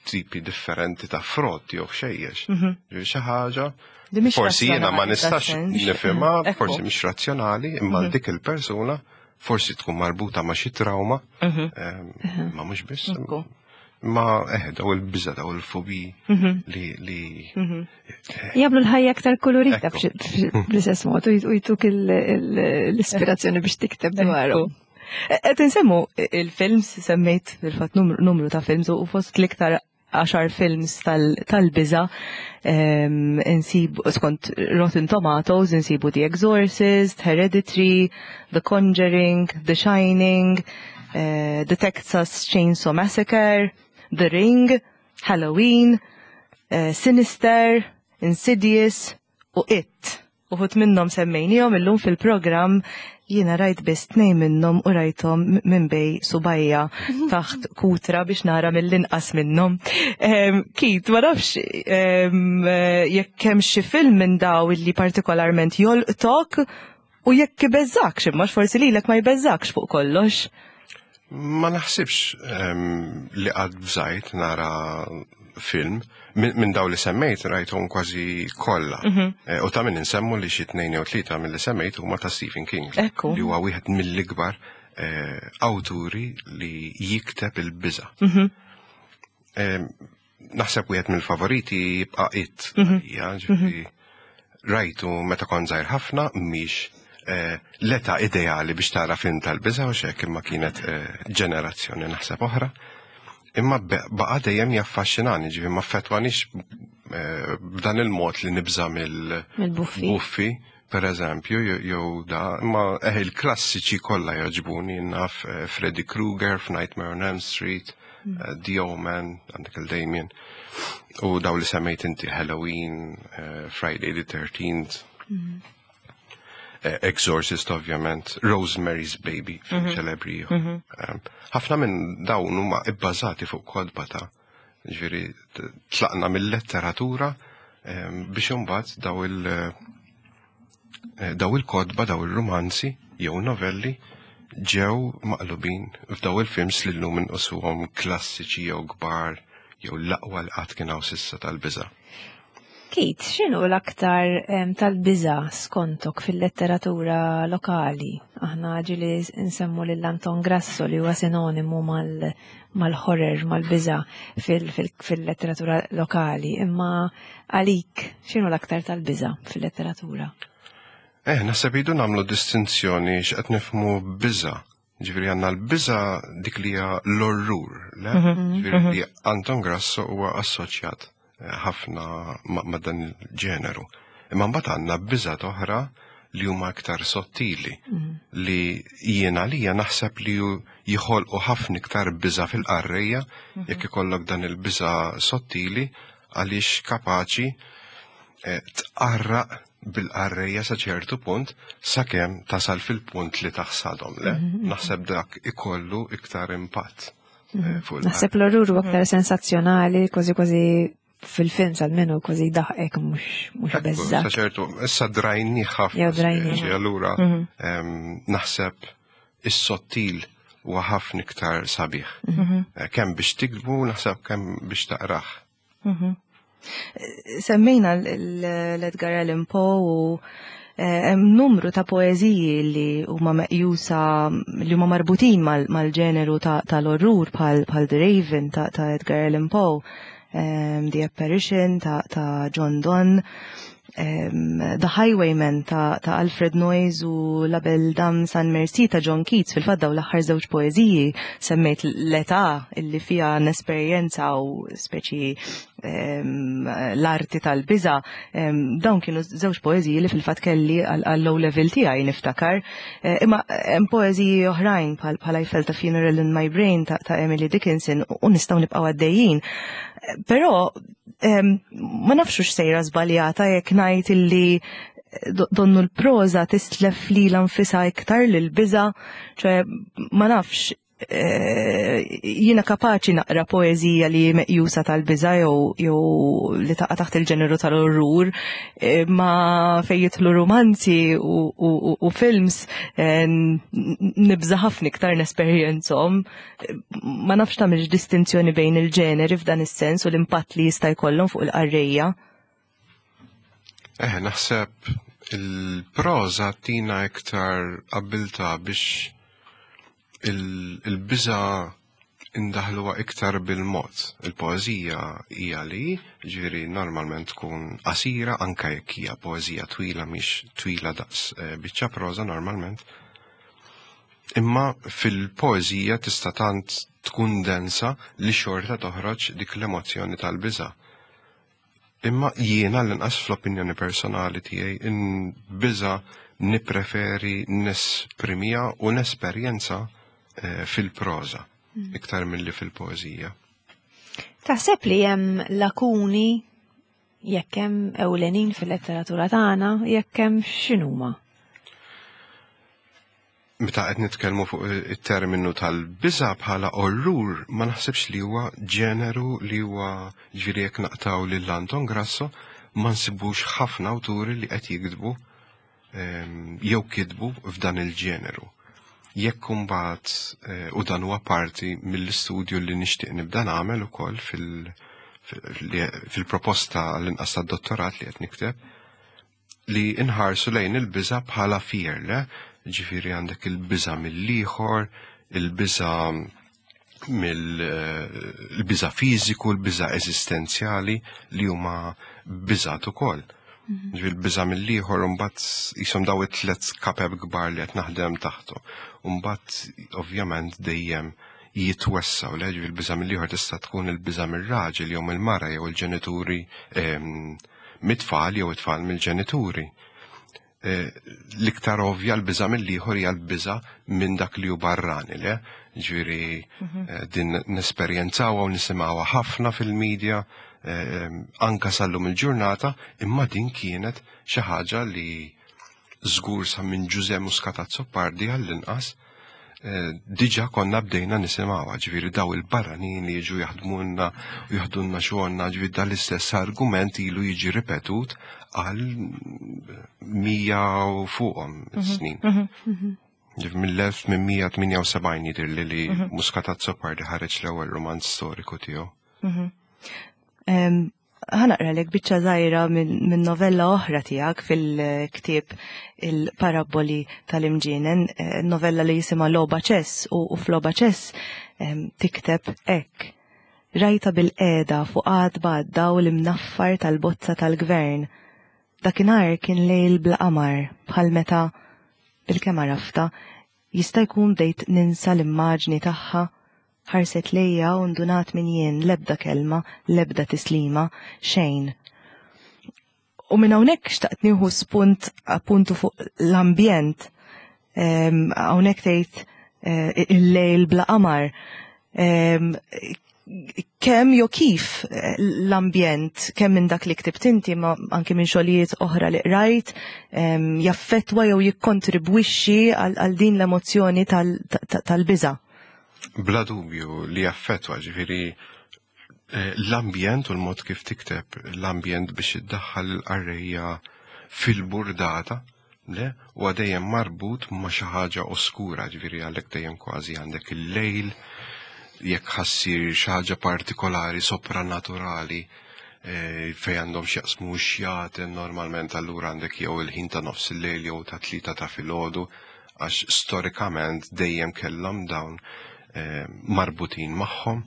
Speaker 5: Tipi differenti ta' frott jew xejjex. Xi ħaġa Forsi jiena ma nistax nifhimha, forsi mhix razzjonali, imma dik il-persuna forsi tkun marbuta ma' xi trauma, mhm. ehm, ma mhux biss. Ma eh, daw il-biża, daw il-fobi mhm. li. li
Speaker 2: mhm. eh, Jagħmlu l-ħajja aktar kolorita bl-istess mod u jtuk l-ispirazzjoni biex tikteb dwarhom.
Speaker 3: Qed insemmu il-films, semmejt fil-fatt numru ta' films u fost l-iktar għaxar films tal-biża insibu skont Rotten Tomatoes insibu The Exorcist, Hereditary, The Conjuring, The Shining, eh, The Texas Chainsaw Massacre, The Ring, Halloween, eh, Sinister, Insidious u It. Uħud minnhom semmejnihom illum fil-programm jiena rajt biss tnejn minnhom u rajthom minn bej subajja taħt kutra biex nara mill-inqas minnhom. Kit, ma nafx jekk hemm xi film minn daw illi partikolarment jolqtok u jekk ibeżżakx imma forsi lilek ma jbeżżakx fuq kollox.
Speaker 5: Ma naħsibx li qatt bżajt nara film minn daw li semmejt rajthom kważi kollha. Eh, u ta' min insemmu li xi tnejn jew tlieta mill-li semmejt huma ta' Stephen King. Li huwa wieħed mill-ikbar eh, awturi li jikteb il-biża. Naħseb wieħed mill-favoriti jibqa' It. Ja, ġifieri rajtu meta kont żgħir ħafna mhix eh, l-età ideali biex tara film tal-biża' u xek imma kienet eh, ġenerazzjoni naħseb oħra. Imma baqa' dejjem jaffaxxinani, ġifieri ma affettwanix eh, b'dan il-mod li nibża'
Speaker 2: mill-buffi.
Speaker 5: Buffi, per eżempju, jew da, imma eh, il-klassiċi kollha jogħġbuni naf eh, Freddy Krueger f'Nightmare on Elm Street, eh, The Omen, għandek il-Damien, u daw li semmejt inti Halloween, Friday the 13th, eh, Exorcist ovvjament, Rosemary's Baby, film ċelebri ieħor. Ħafna minn dawn huma ibbażati fuq kotba ta' ġifieri tlaqna mill-letteratura biex imbagħad daw il- eh, daw il-kotba, daw il-rumanzi jew novelli ġew maqlubin f'daw il-films li llum inqisuhom klassiċi jew kbar jew l-aqwa li qatt kien hawn s'issa tal-biża'.
Speaker 2: Kit, x'inhu l-aktar tal-biża' skontok fil-letteratura lokali? Aħna ġieli nsemmu lil Anton Grasso li huwa sinonimu mal-horror, mal-biża' fil-letteratura lokali, imma għalik x'inhu l-aktar tal-biża' fil-letteratura?
Speaker 5: Eh, naħseb idu nagħmlu distinzjoni x'qed nifhmu biża'. Ġifieri għandna l-biża' dik li hija l-orrur, le? Ġifieri li Anton Grasso huwa assoċjat eh, ħafna ma' dan il-ġeneru. Imma mbagħad għandna biża' oħra li huma aktar sottili li jiena lija naħseb li jħolqu ħafna iktar biża' fil-qarrejja jekk ikollok dan il-biża' sottili għaliex kapaċi eh, tqarraq bil-qarrejja sa ċertu punt sakemm tasal fil-punt li taħsadhom, le? Naħseb dak ikollu iktar impatt eh, fuq il
Speaker 2: Naħseb l-orrur huwa aktar sensazzjonali, kważi kważi fil-film sal-menu kważi daħqek mhux
Speaker 5: Ekku,
Speaker 2: beżża.
Speaker 5: Sa ċertu, issa drajni ħafna.
Speaker 2: Jew drajni.
Speaker 5: speċi, Allura, naħseb is-sottil huwa ħafna iktar sabiħ. Eh, Kemm biex tiktbu, naħseb kemm biex taqrah.
Speaker 3: Semmejna l-Edgar Allan Poe u eh, hemm numru ta' poeżiji li huma meqjusa li huma marbutin mal-ġeneru tal-orrur bħal bħal The Raven ta' Edgar Allan Poe, The Apparition ta' John Donne, The Highwayman ta' Alfred Noyes u La Belle Dame sans Merci ta' John Keats. Fil-fatt daw l-aħħar żewġ poeżiji semmejt l-età illi fiha nesperjenza u speċi l-arti tal-biża, dawn kienu żewġ poeżiji li fil-fatt kelli għall-O level tiegħi niftakar. Eh, Imma hemm poeżiji oħrajn bħal bħal I Felt a Funeral in My Brain ta' Emily Dickinson u nistgħu nibqgħu għaddejjin. Eh, Però ma nafx hux sejra żbaljata jekk ngħid illi donnu l-proża tislef lilha nfisha iktar lil biża, ċe ma nafx eh, jiena kapaċi naqra poeżija li meqjusa tal-biża jew li taqa' taħt il-ġeneru tal-orrur, eh, ma fejn jidħlu romanzi u films eh, nibża ħafna iktar nesperjenzhom. Ma nafx tagħmilx distinzjoni bejn il-ġeneri f'dan is-sens u l-impatt li jista' jkollhom fuq il-qarrejja.
Speaker 5: Eh, naħseb il-proża tina iktar abilta biex il-biża indaħluha iktar bil-mod. Il-poeżija hija li, ġifieri normalment tkun qasira anke jekk hija poeżija twila mhix twila daqs eh, biċċa proża normalment. Imma fil-poeżija tista' tant tkun densa li xorta toħroġ dik l-emozzjoni tal-biża. Imma jiena l-inqas fl-opinjoni personali tiegħi il-biża nippreferi nesprimija u nesperjenza eh, fil-proża iktar milli fil-poeżija.
Speaker 2: Taħseb li hemm lakuni Jekk hemm ewlenin fil-letteratura tagħna, jekk hemm x'inhuma?
Speaker 5: Meta qed nitkellmu fuq it-terminu tal-biża' bħala orrur, ma naħsibx li huwa ġeneru li huwa ġifieri jekk naqtaw lil Anton Grasso ma nsibux ħafna awturi li qed jiktbu ehm, jew kitbu f'dan il-ġeneru. Jekk imbagħad eh, u dan huwa parti mill-istudju li nixtieq nibda nagħmel ukoll fil-proposta l-inqas tad-dottorat li qed nikteb, li nħarsu lejn il-biża' bħala fear, le? Ġifieri għandek il-biża' mill-ieħor, il-biża' mill-biża' fiżiku, l-biża' eżistenzjali li huma biżat ukoll. Mhm. Ġifieri l-biża' mill-ieħor mbagħad jisom daw it-tliet kapeb kbar li qed naħdem taħtu. Mbagħad ovvjament dejjem jitwessaw, le ġifieri l-biża' mill-ieħor tista' tkun il-biża' mir-raġel jew mill-mara jew il-ġenituri ehm, mit-tfal jew it-tfal mill-ġenituri. Eh, l-iktar ovvja l-biża mill-ieħor hija l-biża minn dak li hu barrani, le? Ġifieri mhm. eh, din nesperjenzawha u nisimgħuha ħafna fil-medja eh, anka sallum il-ġurnata, imma din kienet xi ħaġa li żgur sa minn Ġuże Muscat Azzopardi għall-inqas Eh, diġa konna bdejna nisimgħuha, ġifieri daw il-barranin li jiġu jaħdmulna u jaħdulna xogħolna, ġifieri dan l-istess argument ilu jiġi ripetut għal mija u fuqhom mhm, snin. Mhm, mhm. Ġifieri mill-1878 jidher li li Muscat Azzopardi ħareġ l-ewwel romanz storiku tiegħu.
Speaker 3: Ħanaqralek biċċa żgħira minn novella oħra tiegħek fil-ktieb il-Parabboli tal-Imġienen, eh, novella li jisimha Loba Ċess u f'Loba Ċess tikteb hekk. Rajta bil-qeda fuq għatba għad-dawl imnaffar tal-bozza tal-gvern. Dakinhar kien lejl bla qamar bħal meta bilkemm għaraftha Jista' jkun bdejt ninsa l-immaġni tagħha? Ħarset lejja u ndunat min jien, l-ebda kelma, l-ebda tislima, xejn. U minn hawnhekk xtaqt nieħu spunt appuntu fuq l-ambjent. Ehm, hawnhekk tgħid eh, il-lejl bla qamar. Ehm, kemm jew kif eh, l-ambjent, kemm minn dak li ktibt inti ma anki minn xogħlijiet oħra li qrajt, ehm, jaffettwa jew jikkontribwixxi għal din l-emozzjoni tal-biża'.
Speaker 5: Bla dubju li jaffettwa, ġifieri eh, l-ambjent u l-mod kif tikteb l-ambjent biex iddaħħal il-qarrejja fil-burdata Le, huwa dejjem marbut ma' xi ħaġa oskura, ġifieri għalhekk dejjem kważi għandek il-lejl, jekk ħassir xi ħaġa partikolari sopranaturali eh, fejn għandhom x'jaqsmu xjaten normalment allura għandek jew il-ħin ta' nofs il-lejl jew ta' tlieta ta' filgħodu għax storikament dejjem kellhom dawn eh, marbutin magħhom.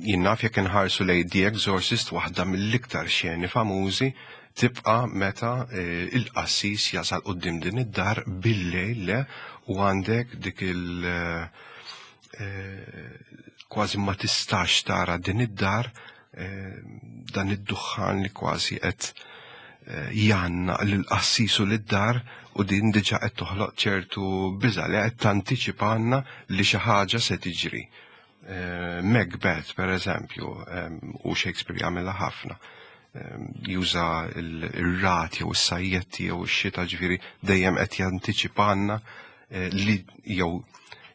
Speaker 5: Jien naf jekk inħarsu lejn The Exorcist waħda mill-iktar xeni famużi tibqa' meta eh, il-qassis jasal quddiem din id-dar bil-lejl le u għandek dik il- eh, kważi ma tistax tara din id-dar eh, dan id-duħħan li kważi qed janna lil-qassis u lid-dar u din diġa qed toħloq ċertu biża li qed tantiċipanna li xi ħaġa se tiġri. Eh, Macbeth, per eżempju, u Shakespeare jagħmilha ħafna, juża il-rat jew is-sajjetti jew ix-xita ġifieri dejjem qed jantiċipanna eh, li jew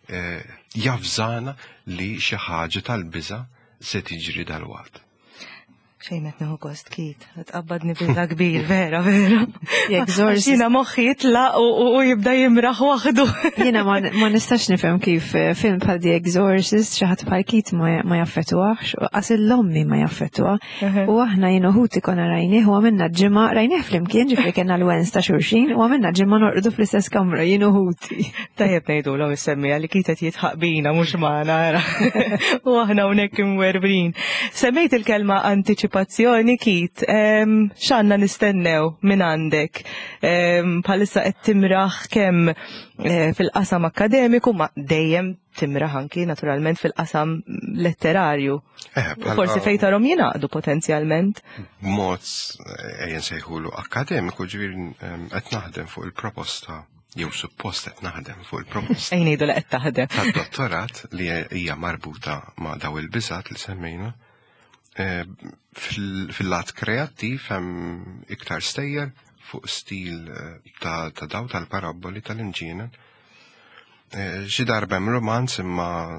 Speaker 5: eh, javżana li xi ħaġa tal-biża se tiġri dalwaqt.
Speaker 3: Xejn qed nieħu gost kit, tqabbadni biża kbir, vera, vera. Jekk żorż. Jiena moħħi jitlaq u jibda jimraħ waħdu.
Speaker 2: Jiena ma nistax nifhem kif eh, film bħal The Exorcist xi ħadd bħal Kit ma jaffettwax, u qas l-ommi ma jaffettwa. U aħna jien uħuti konna rajnih u għamilna ġimgħa rajnih flimkien ġifieri kellna l-wens ta' xulxin u għamilna ġimgħa norqdu fl-istess kamra jien uħuti.
Speaker 3: Tajjeb ngħidulhom is-semmija li Kit qed jitħaq bina mhux magħna ara. U aħna hawnhekk imwerbrin. Semmejt il-kelma antiċipazzjoni Kit, x'għandna nistennew minn għandek? Bħalissa qed timraħ kemm eh, fil-qasam akkademiku ma dejjem timraħ anki naturalment fil-qasam letterarju. Eh, Forsi fejn tarhom jingħaqdu potenzjalment.
Speaker 5: B'mod eh, ejjen sejħulu akkademiku ġifieri qed naħdem fuq il-proposta jew suppost qed naħdem fuq il-proposta.
Speaker 3: Ejn ngħidu li qed taħdem.
Speaker 5: Tad-dottorat li hija marbuta ma' daw il-biżat li semmejna. Eh, fil-lat kreattiv hemm iktar stejjer fuq stil eh, ta' daw tal-parabboli tal-imġienen. Eh, xi darba hemm romanz imma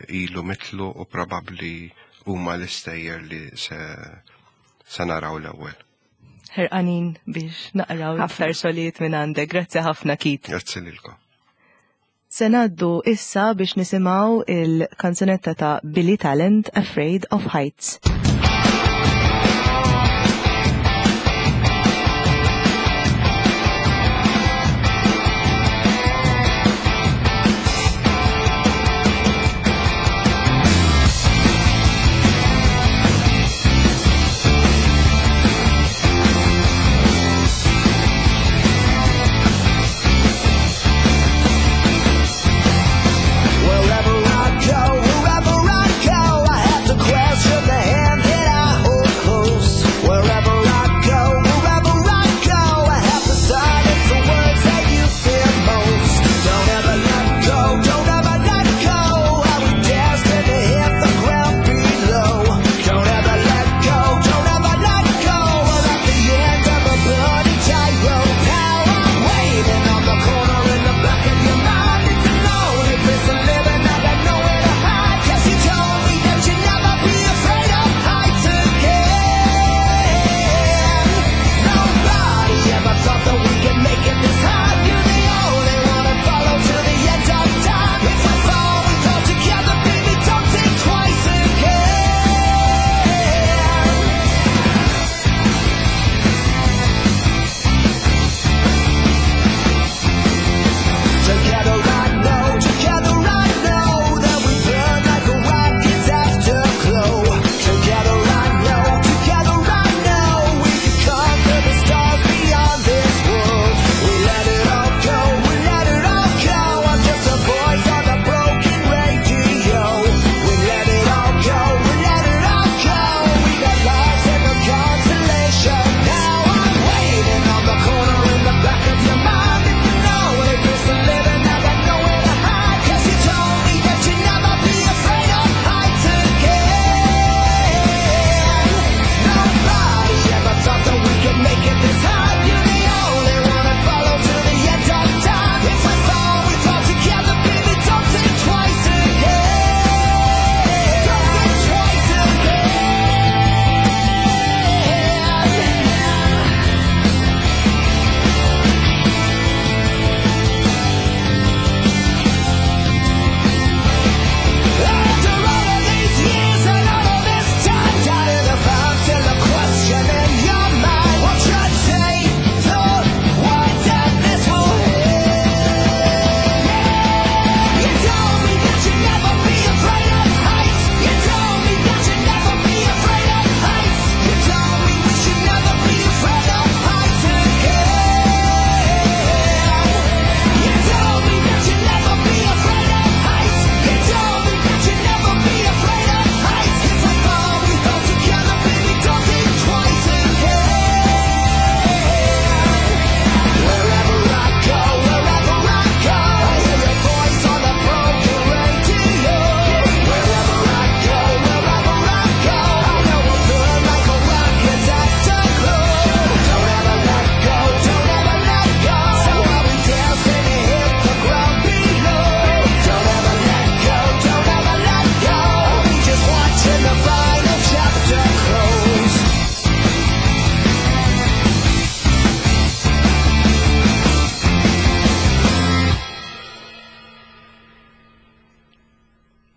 Speaker 5: ilu mitlu u probabbli huma l-istejjer li se se naraw l-ewwel.
Speaker 3: Ħerqanin biex naqraw aktar xogħlijiet minn għandek. Grazzi ħafna Kit.
Speaker 5: Grazzi lilkom.
Speaker 3: Se ngħaddu issa biex nisimgħu il-kanzunetta ta' Billy Talent Afraid of Heights.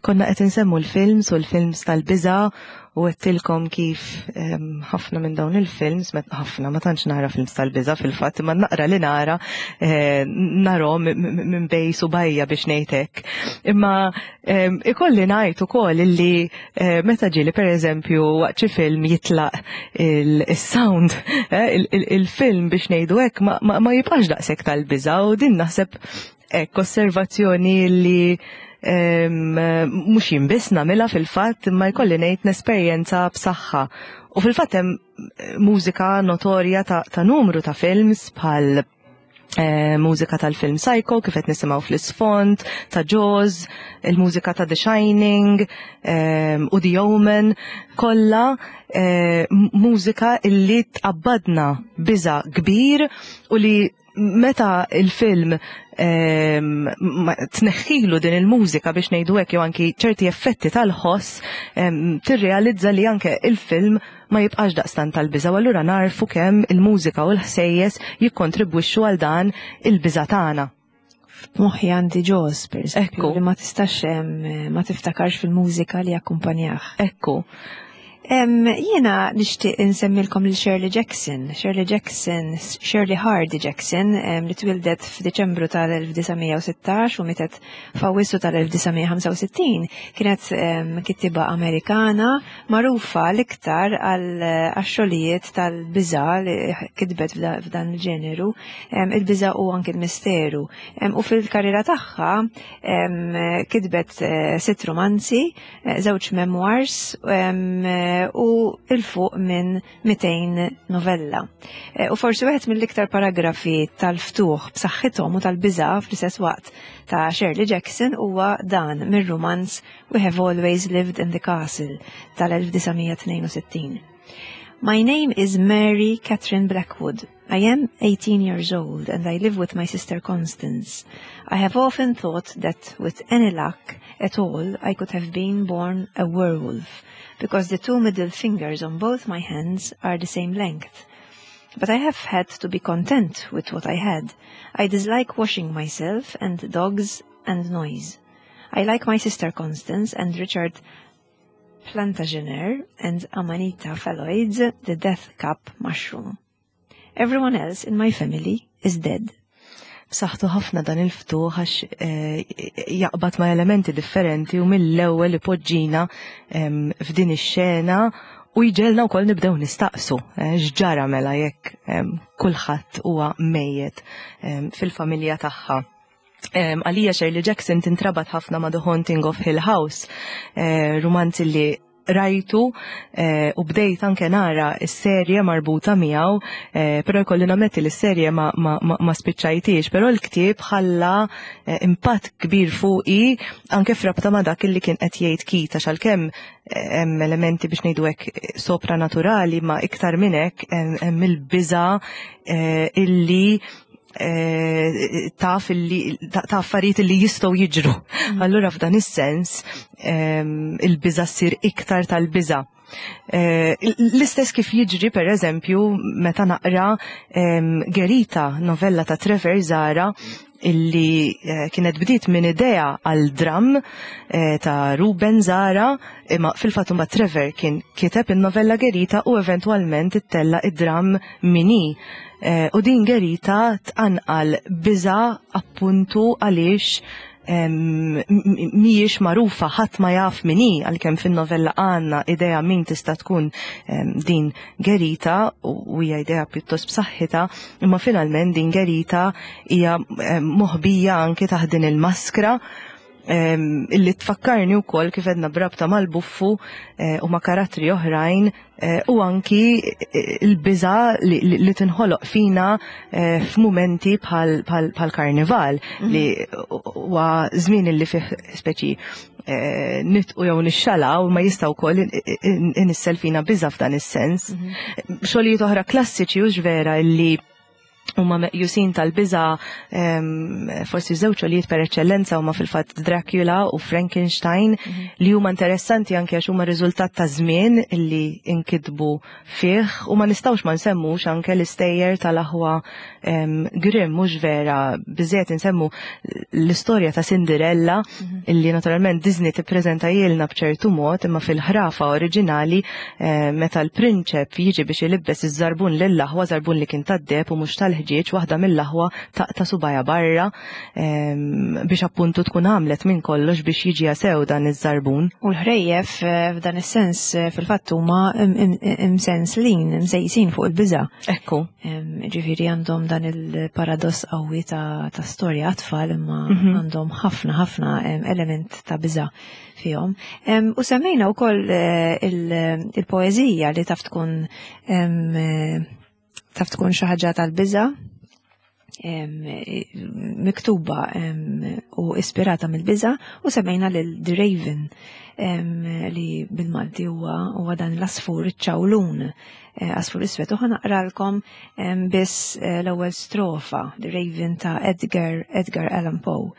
Speaker 3: Konna qed insemmu l-films u l-films tal-biża' u għedtilkom kif ħafna minn dawn il-films, ħafna ma tantx nara films tal-biża' fil-fatt, imma naqra li nara eh, narhom minn bej subajja biex ngħid hekk. Imma ikolli ngħid ukoll illi eh, meta ġieli pereżempju waqt xi film jitlaq il-sound, eh, il-film biex ngħidu hekk ma jibqax daqshekk tal-biża' u din naħseb Hekk, osservazzjoni li mhux jien biss nagħmilha fil-fatt imma jkolli ngħid nesperjenza b'saħħa. U fil-fatt hemm mużika notorja ta', ta numru ta' films bħal Eh, mużika tal-film Psycho, kif qed nisimgħu fl-isfond, ta' Jaws, il-mużika ta' The Shining eh, u The Omen, kollha eh, mużika illi tqabbadna biża kbir u li meta il-film ehm, tneħħilu din il-mużika biex ngħidu hekk jew anki ċerti effetti tal-ħoss ehm, tirrealizza li anke il-film ma jibqax daqstant tal-biża' u allura narfu kemm il-mużika u l-ħsejjes jikkontribwixxu għal dan il-biża' tagħna.
Speaker 2: F'moħħi għandi Jaws, per eżempju, li ma tistax ma tiftakarx fil-mużika li akkumpanjah.
Speaker 3: Ekku.
Speaker 2: Jiena nixtieq insemmilkom lil Shirley Jackson. Shirley Jackson, Shirley Hardy Jackson, li twildet f'Diċembru tal-1916 u mietet f'Awwissu tal-1965, kienet kittiba Amerikana magħrufa l-iktar għal xogħlijiet tal-biża' li kitbet f'dan il-ġeneru, il-biża' u anki l-misteru. U fil-karriera tagħha kitbet eh, sitt romanzi, eh, żewġ memoirs u il-fuq minn 200 novella. Eh, u forsi wieħed mill-iktar paragrafi tal-ftuħ b'saħħithom u tal-biża' fl-istess waqt ta' Shirley Jackson huwa dan mir-rumanz We Have Always Lived in the Castle tal-1962. My name is Mary Catherine Blackwood. I am 18 years old and I live with my sister Constance. I have often thought that with any luck at all I could have been born a werewolf because the two middle fingers on both my hands are the same length. But I have had to be content with what I had. I dislike washing myself and dogs and noise. I like my sister Constance and Richard Plantagener and Amanita phalloides, the death cap mushroom. Everyone else in my family is dead.
Speaker 3: B'saħħtu ħafna dan il-ftuħ għax eh, jaqbad ma' elementi differenti u mill-ewwel ipoġġina f'din ix-xena u jġelna wkoll nibdew nistaqsu eh, x'ġara mela jekk kulħadd huwa mejjet fil-familja tagħha. Għalija Shirley Jackson tintrabat ħafna ma' The Haunting of Hill House, eh, rumanz li rajtu eh, u bdejt anke nara s-serje marbuta miegħu, eh, però jkolli nammetti li s-serje ma, ma, ma, ma spiċċajtiex, però l-ktieb ħalla impatt kbir fuqi anke frabta ma dak li kien qed jgħid Keith għax għalkemm hemm elementi biex ngħidu hekk sopranaturali ma iktar minn hekk hemm il-biża illi Eh, taf illi ta' affarijiet illi jistgħu jiġru. Mm. Allura f'dan is-sens ehm, il-biża ssir iktar tal-biża. Eh, l-istess kif jiġri per eżempju meta naqra ehm, Gerita, novella ta' Trevor Zara, illi eh, kienet bdiet minn idea għal dram ta' Ruben Zara, imma fil-fatt imbagħad Trevor kien kiteb in-novella Gerita u eventwalment ittella' id-dram Mini. Eh, u din Gerita tqanqal biża appuntu għaliex mhijiex magħrufa ħadd ma jaf min hi għalkemm fin-novella għandna idea min tista' tkun din Gerita u hija idea pjuttost b'saħħitha, imma finalment din Gerita hija moħbija anke taħt din il-maskra illi tfakkarni wkoll kif edna brabta mal-buffu eh, u ma' karattri oħrajn eh, u anki eh, l-biża li tinħoloq fina f'mumenti bħal karnival mhm. li huwa żmien li fih speċi nitqu jew nixxala u ma jistgħu wkoll inissel fina biża f'dan is-sens. Mhm. Xogħlijiet oħra klassiċi u vera illi huma meqjusin tal-biża forsi żewġ xogħlijiet per eċċellenza huma fil-fatt Dracula u Frankenstein mhm. li huma interessanti anke għax huma riżultat ta' żmien li inkitbu fih u ma nistgħux ma nsemmux anke l-istejjer tal-aħwa Grimm mhux vera biżejjed insemmu l-istorja ta' Cinderella mhm. illi naturalment Disney tippreżentajilna b'ċertu mod imma fil-ħrafa oriġinali eh, meta l-prinċep jiġi biex ilibbes iż-żarbun lill-aħwa, żarbun li kien tad-deheb u mhux tal-ħġieġ, waħda mill-aħwa taqta' subajha barra ehm, biex appuntu tkun għamlet minn kollox biex jiġi sew dan iż-żarbun.
Speaker 2: U l-ħrejjef eh, f'dan is-sens eh, fil-fatt huma imsenslin, imsejsin fuq il-biża'.
Speaker 3: Ekku.
Speaker 2: Ehm, ġifieri għandhom dan il-paradoss qawwi ta' storja għat-tfal imma mhm. għandhom ħafna ħafna ehm, element ta' biża' fihom. U semmejna wkoll eh, il-poeżija li taf tkun eh, taf tkun xi ħaġa tal-biża'. miktuba u ispirata mill-biża u semmejna lil The Raven li bil-Malti huwa dan l-asfur iċ-ċawlun eh, asfur iswed u ħanaqralkom biss eh, l-ewwel strofa The Raven ta' Edgar Edgar Allan Poe.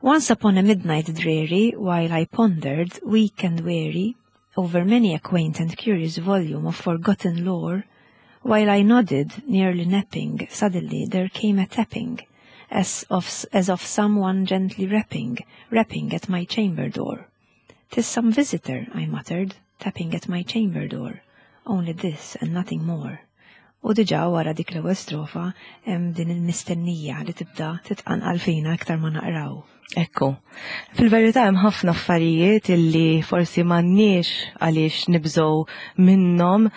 Speaker 2: Once upon a midnight dreary, while I pondered, weak and weary, over many a quaint and curious volume of forgotten lore, while I nodded, nearly napping, suddenly there came a tapping, as of, as of someone gently rapping, rapping at my chamber door. "'Tis some visitor," I muttered, tapping at my chamber door, "only this and nothing more." U diġà wara dik l-ewwel strofa hemm din il-mistennija li tibda titqanqal fina iktar ma naqraw.
Speaker 3: Ekku. Fil-verità hemm ħafna affarijiet illi forsi m'għandniex għaliex nibżgħu minnhom.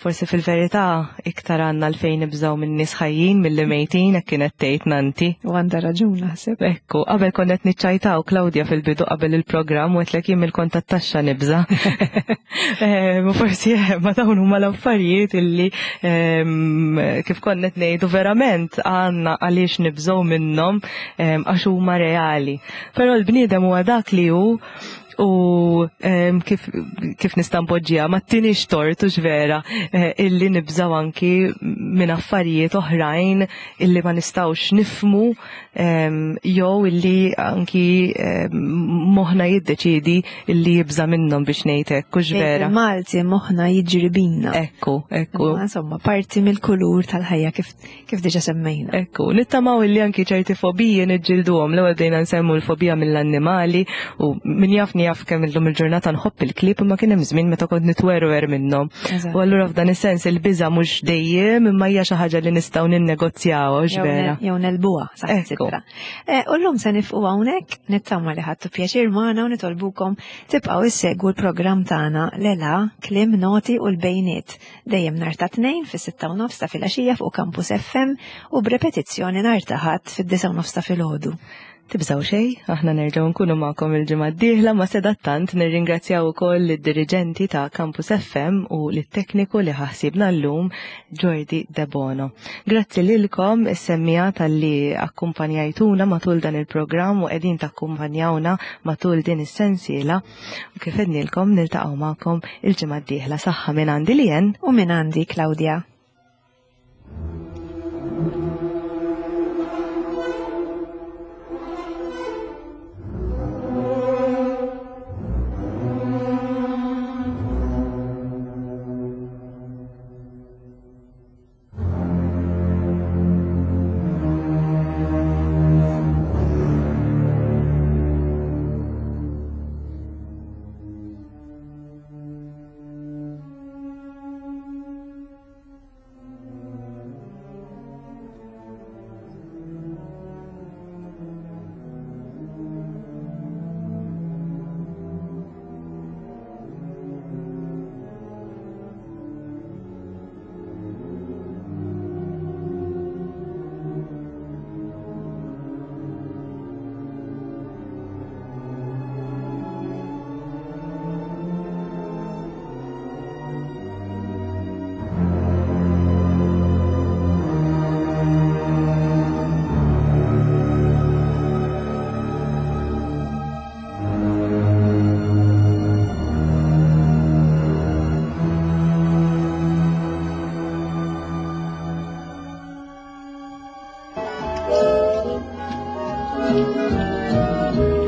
Speaker 3: Forsi fil-verità iktar għandna għalfejn nibżgħu minn nies ħajjin milli mejtin hekk kienet tgħid Nanti.
Speaker 2: U għandha raġun naħseb.
Speaker 3: Ekku, qabel konna qed niċċajtaw Claudia fil-bidu qabel il-programm u għedtlek jien mill-kont tat-taxxa nibża'. Forsi eh, ma dawn huma l-affarijiet illi kif konna qed ngħidu verament għandna għaliex nibżgħu minnhom għax huma reali. Però l-bniedem huwa dak li hu u kif, kif nista' npoġġiha ma tinix tort u vera eh, illi nibżaw anki minn affarijiet oħrajn illi ma nistgħux nifmu jew illi anki moħna jiddeċiedi illi jibża' minnhom biex ngħid hekk hux vera.
Speaker 2: Malti moħna jiġri bina.
Speaker 3: Ekku, ekku.
Speaker 2: Insomma, parti mill-kulur tal-ħajja kif Kif diġa semmejna.
Speaker 3: Ekku, nittamaw illi anki ċerti fobiji niġġilduhom. L-ewwel bdejna nsemmu l-fobija mill-annimali u min jaf jaf kemm illum il-ġurnata nħobb il-klieb imma kien hemm żmien meta kont nitwerwer minnhom. U allura f'dan is-sens il-biża' mhux dejjem imma hija xi ħaġa li nistgħu ninnegozjawha hux vera.
Speaker 2: Jew nelbuha saħansitra. Eh, u llum se nifqu hawnhekk, nittama li ħadtu pjaċir magħna u nitolbukom tibqgħu issegwu l-programm tagħna Lela, Kliem Noti u l-Bejniet. Dejjem nhar ta' Tnejn fis-6:30 ta' filgħaxija fuq Campus FM u b'repetizzjoni nhar ta' Ħadd fid-9:30 ta' filgħodu.
Speaker 3: Tibżgħu xejn, aħna nerġgħu nkunu magħkom il-ġimgħa d-dieħla ma sedattant nirringrazzjaw ukoll lid-diriġenti ta' Campus FM u lit-tekniku li ħaħsibna llum Jordi Debono. Grazzi lilkom is-semmiegħa talli akkumpanjajtuna matul dan il-programm u qegħdin takkumpanjawna matul din is-sensiela. U kif għednilkom niltaqgħu magħkom il-ġimgħa d-dieħla saħħa minn għandi Lien
Speaker 2: u minn għandi Claudia.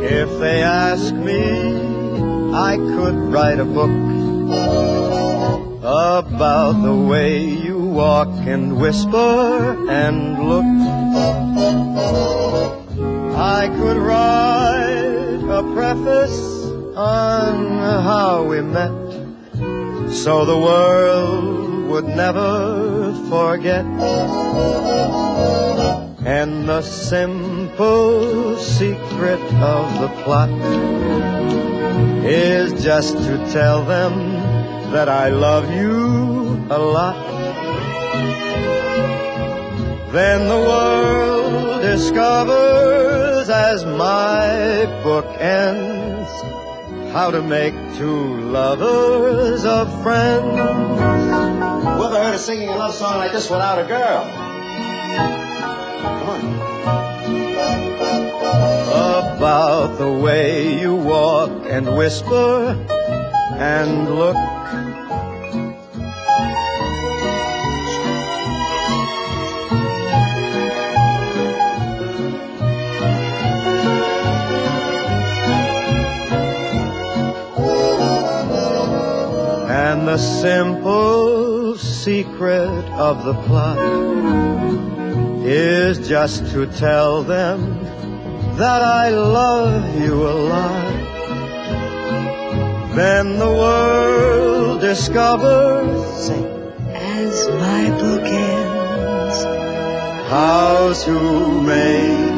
Speaker 1: If they ask me, I could write a book about the way you walk and whisper and look. I could write a preface on how we met, so the world would never forget. And the simple secret of the plot is just to tell them that I love you a lot. Then the world discovers as my book ends how to make two lovers of friends. Whoever heard of singing a love song like this without a girl? Come on. About the way you walk and whisper and look. And the simple secret of the plot is just to tell them that I love you a lot. Then the world discovers
Speaker 3: As my book ends,
Speaker 1: how to make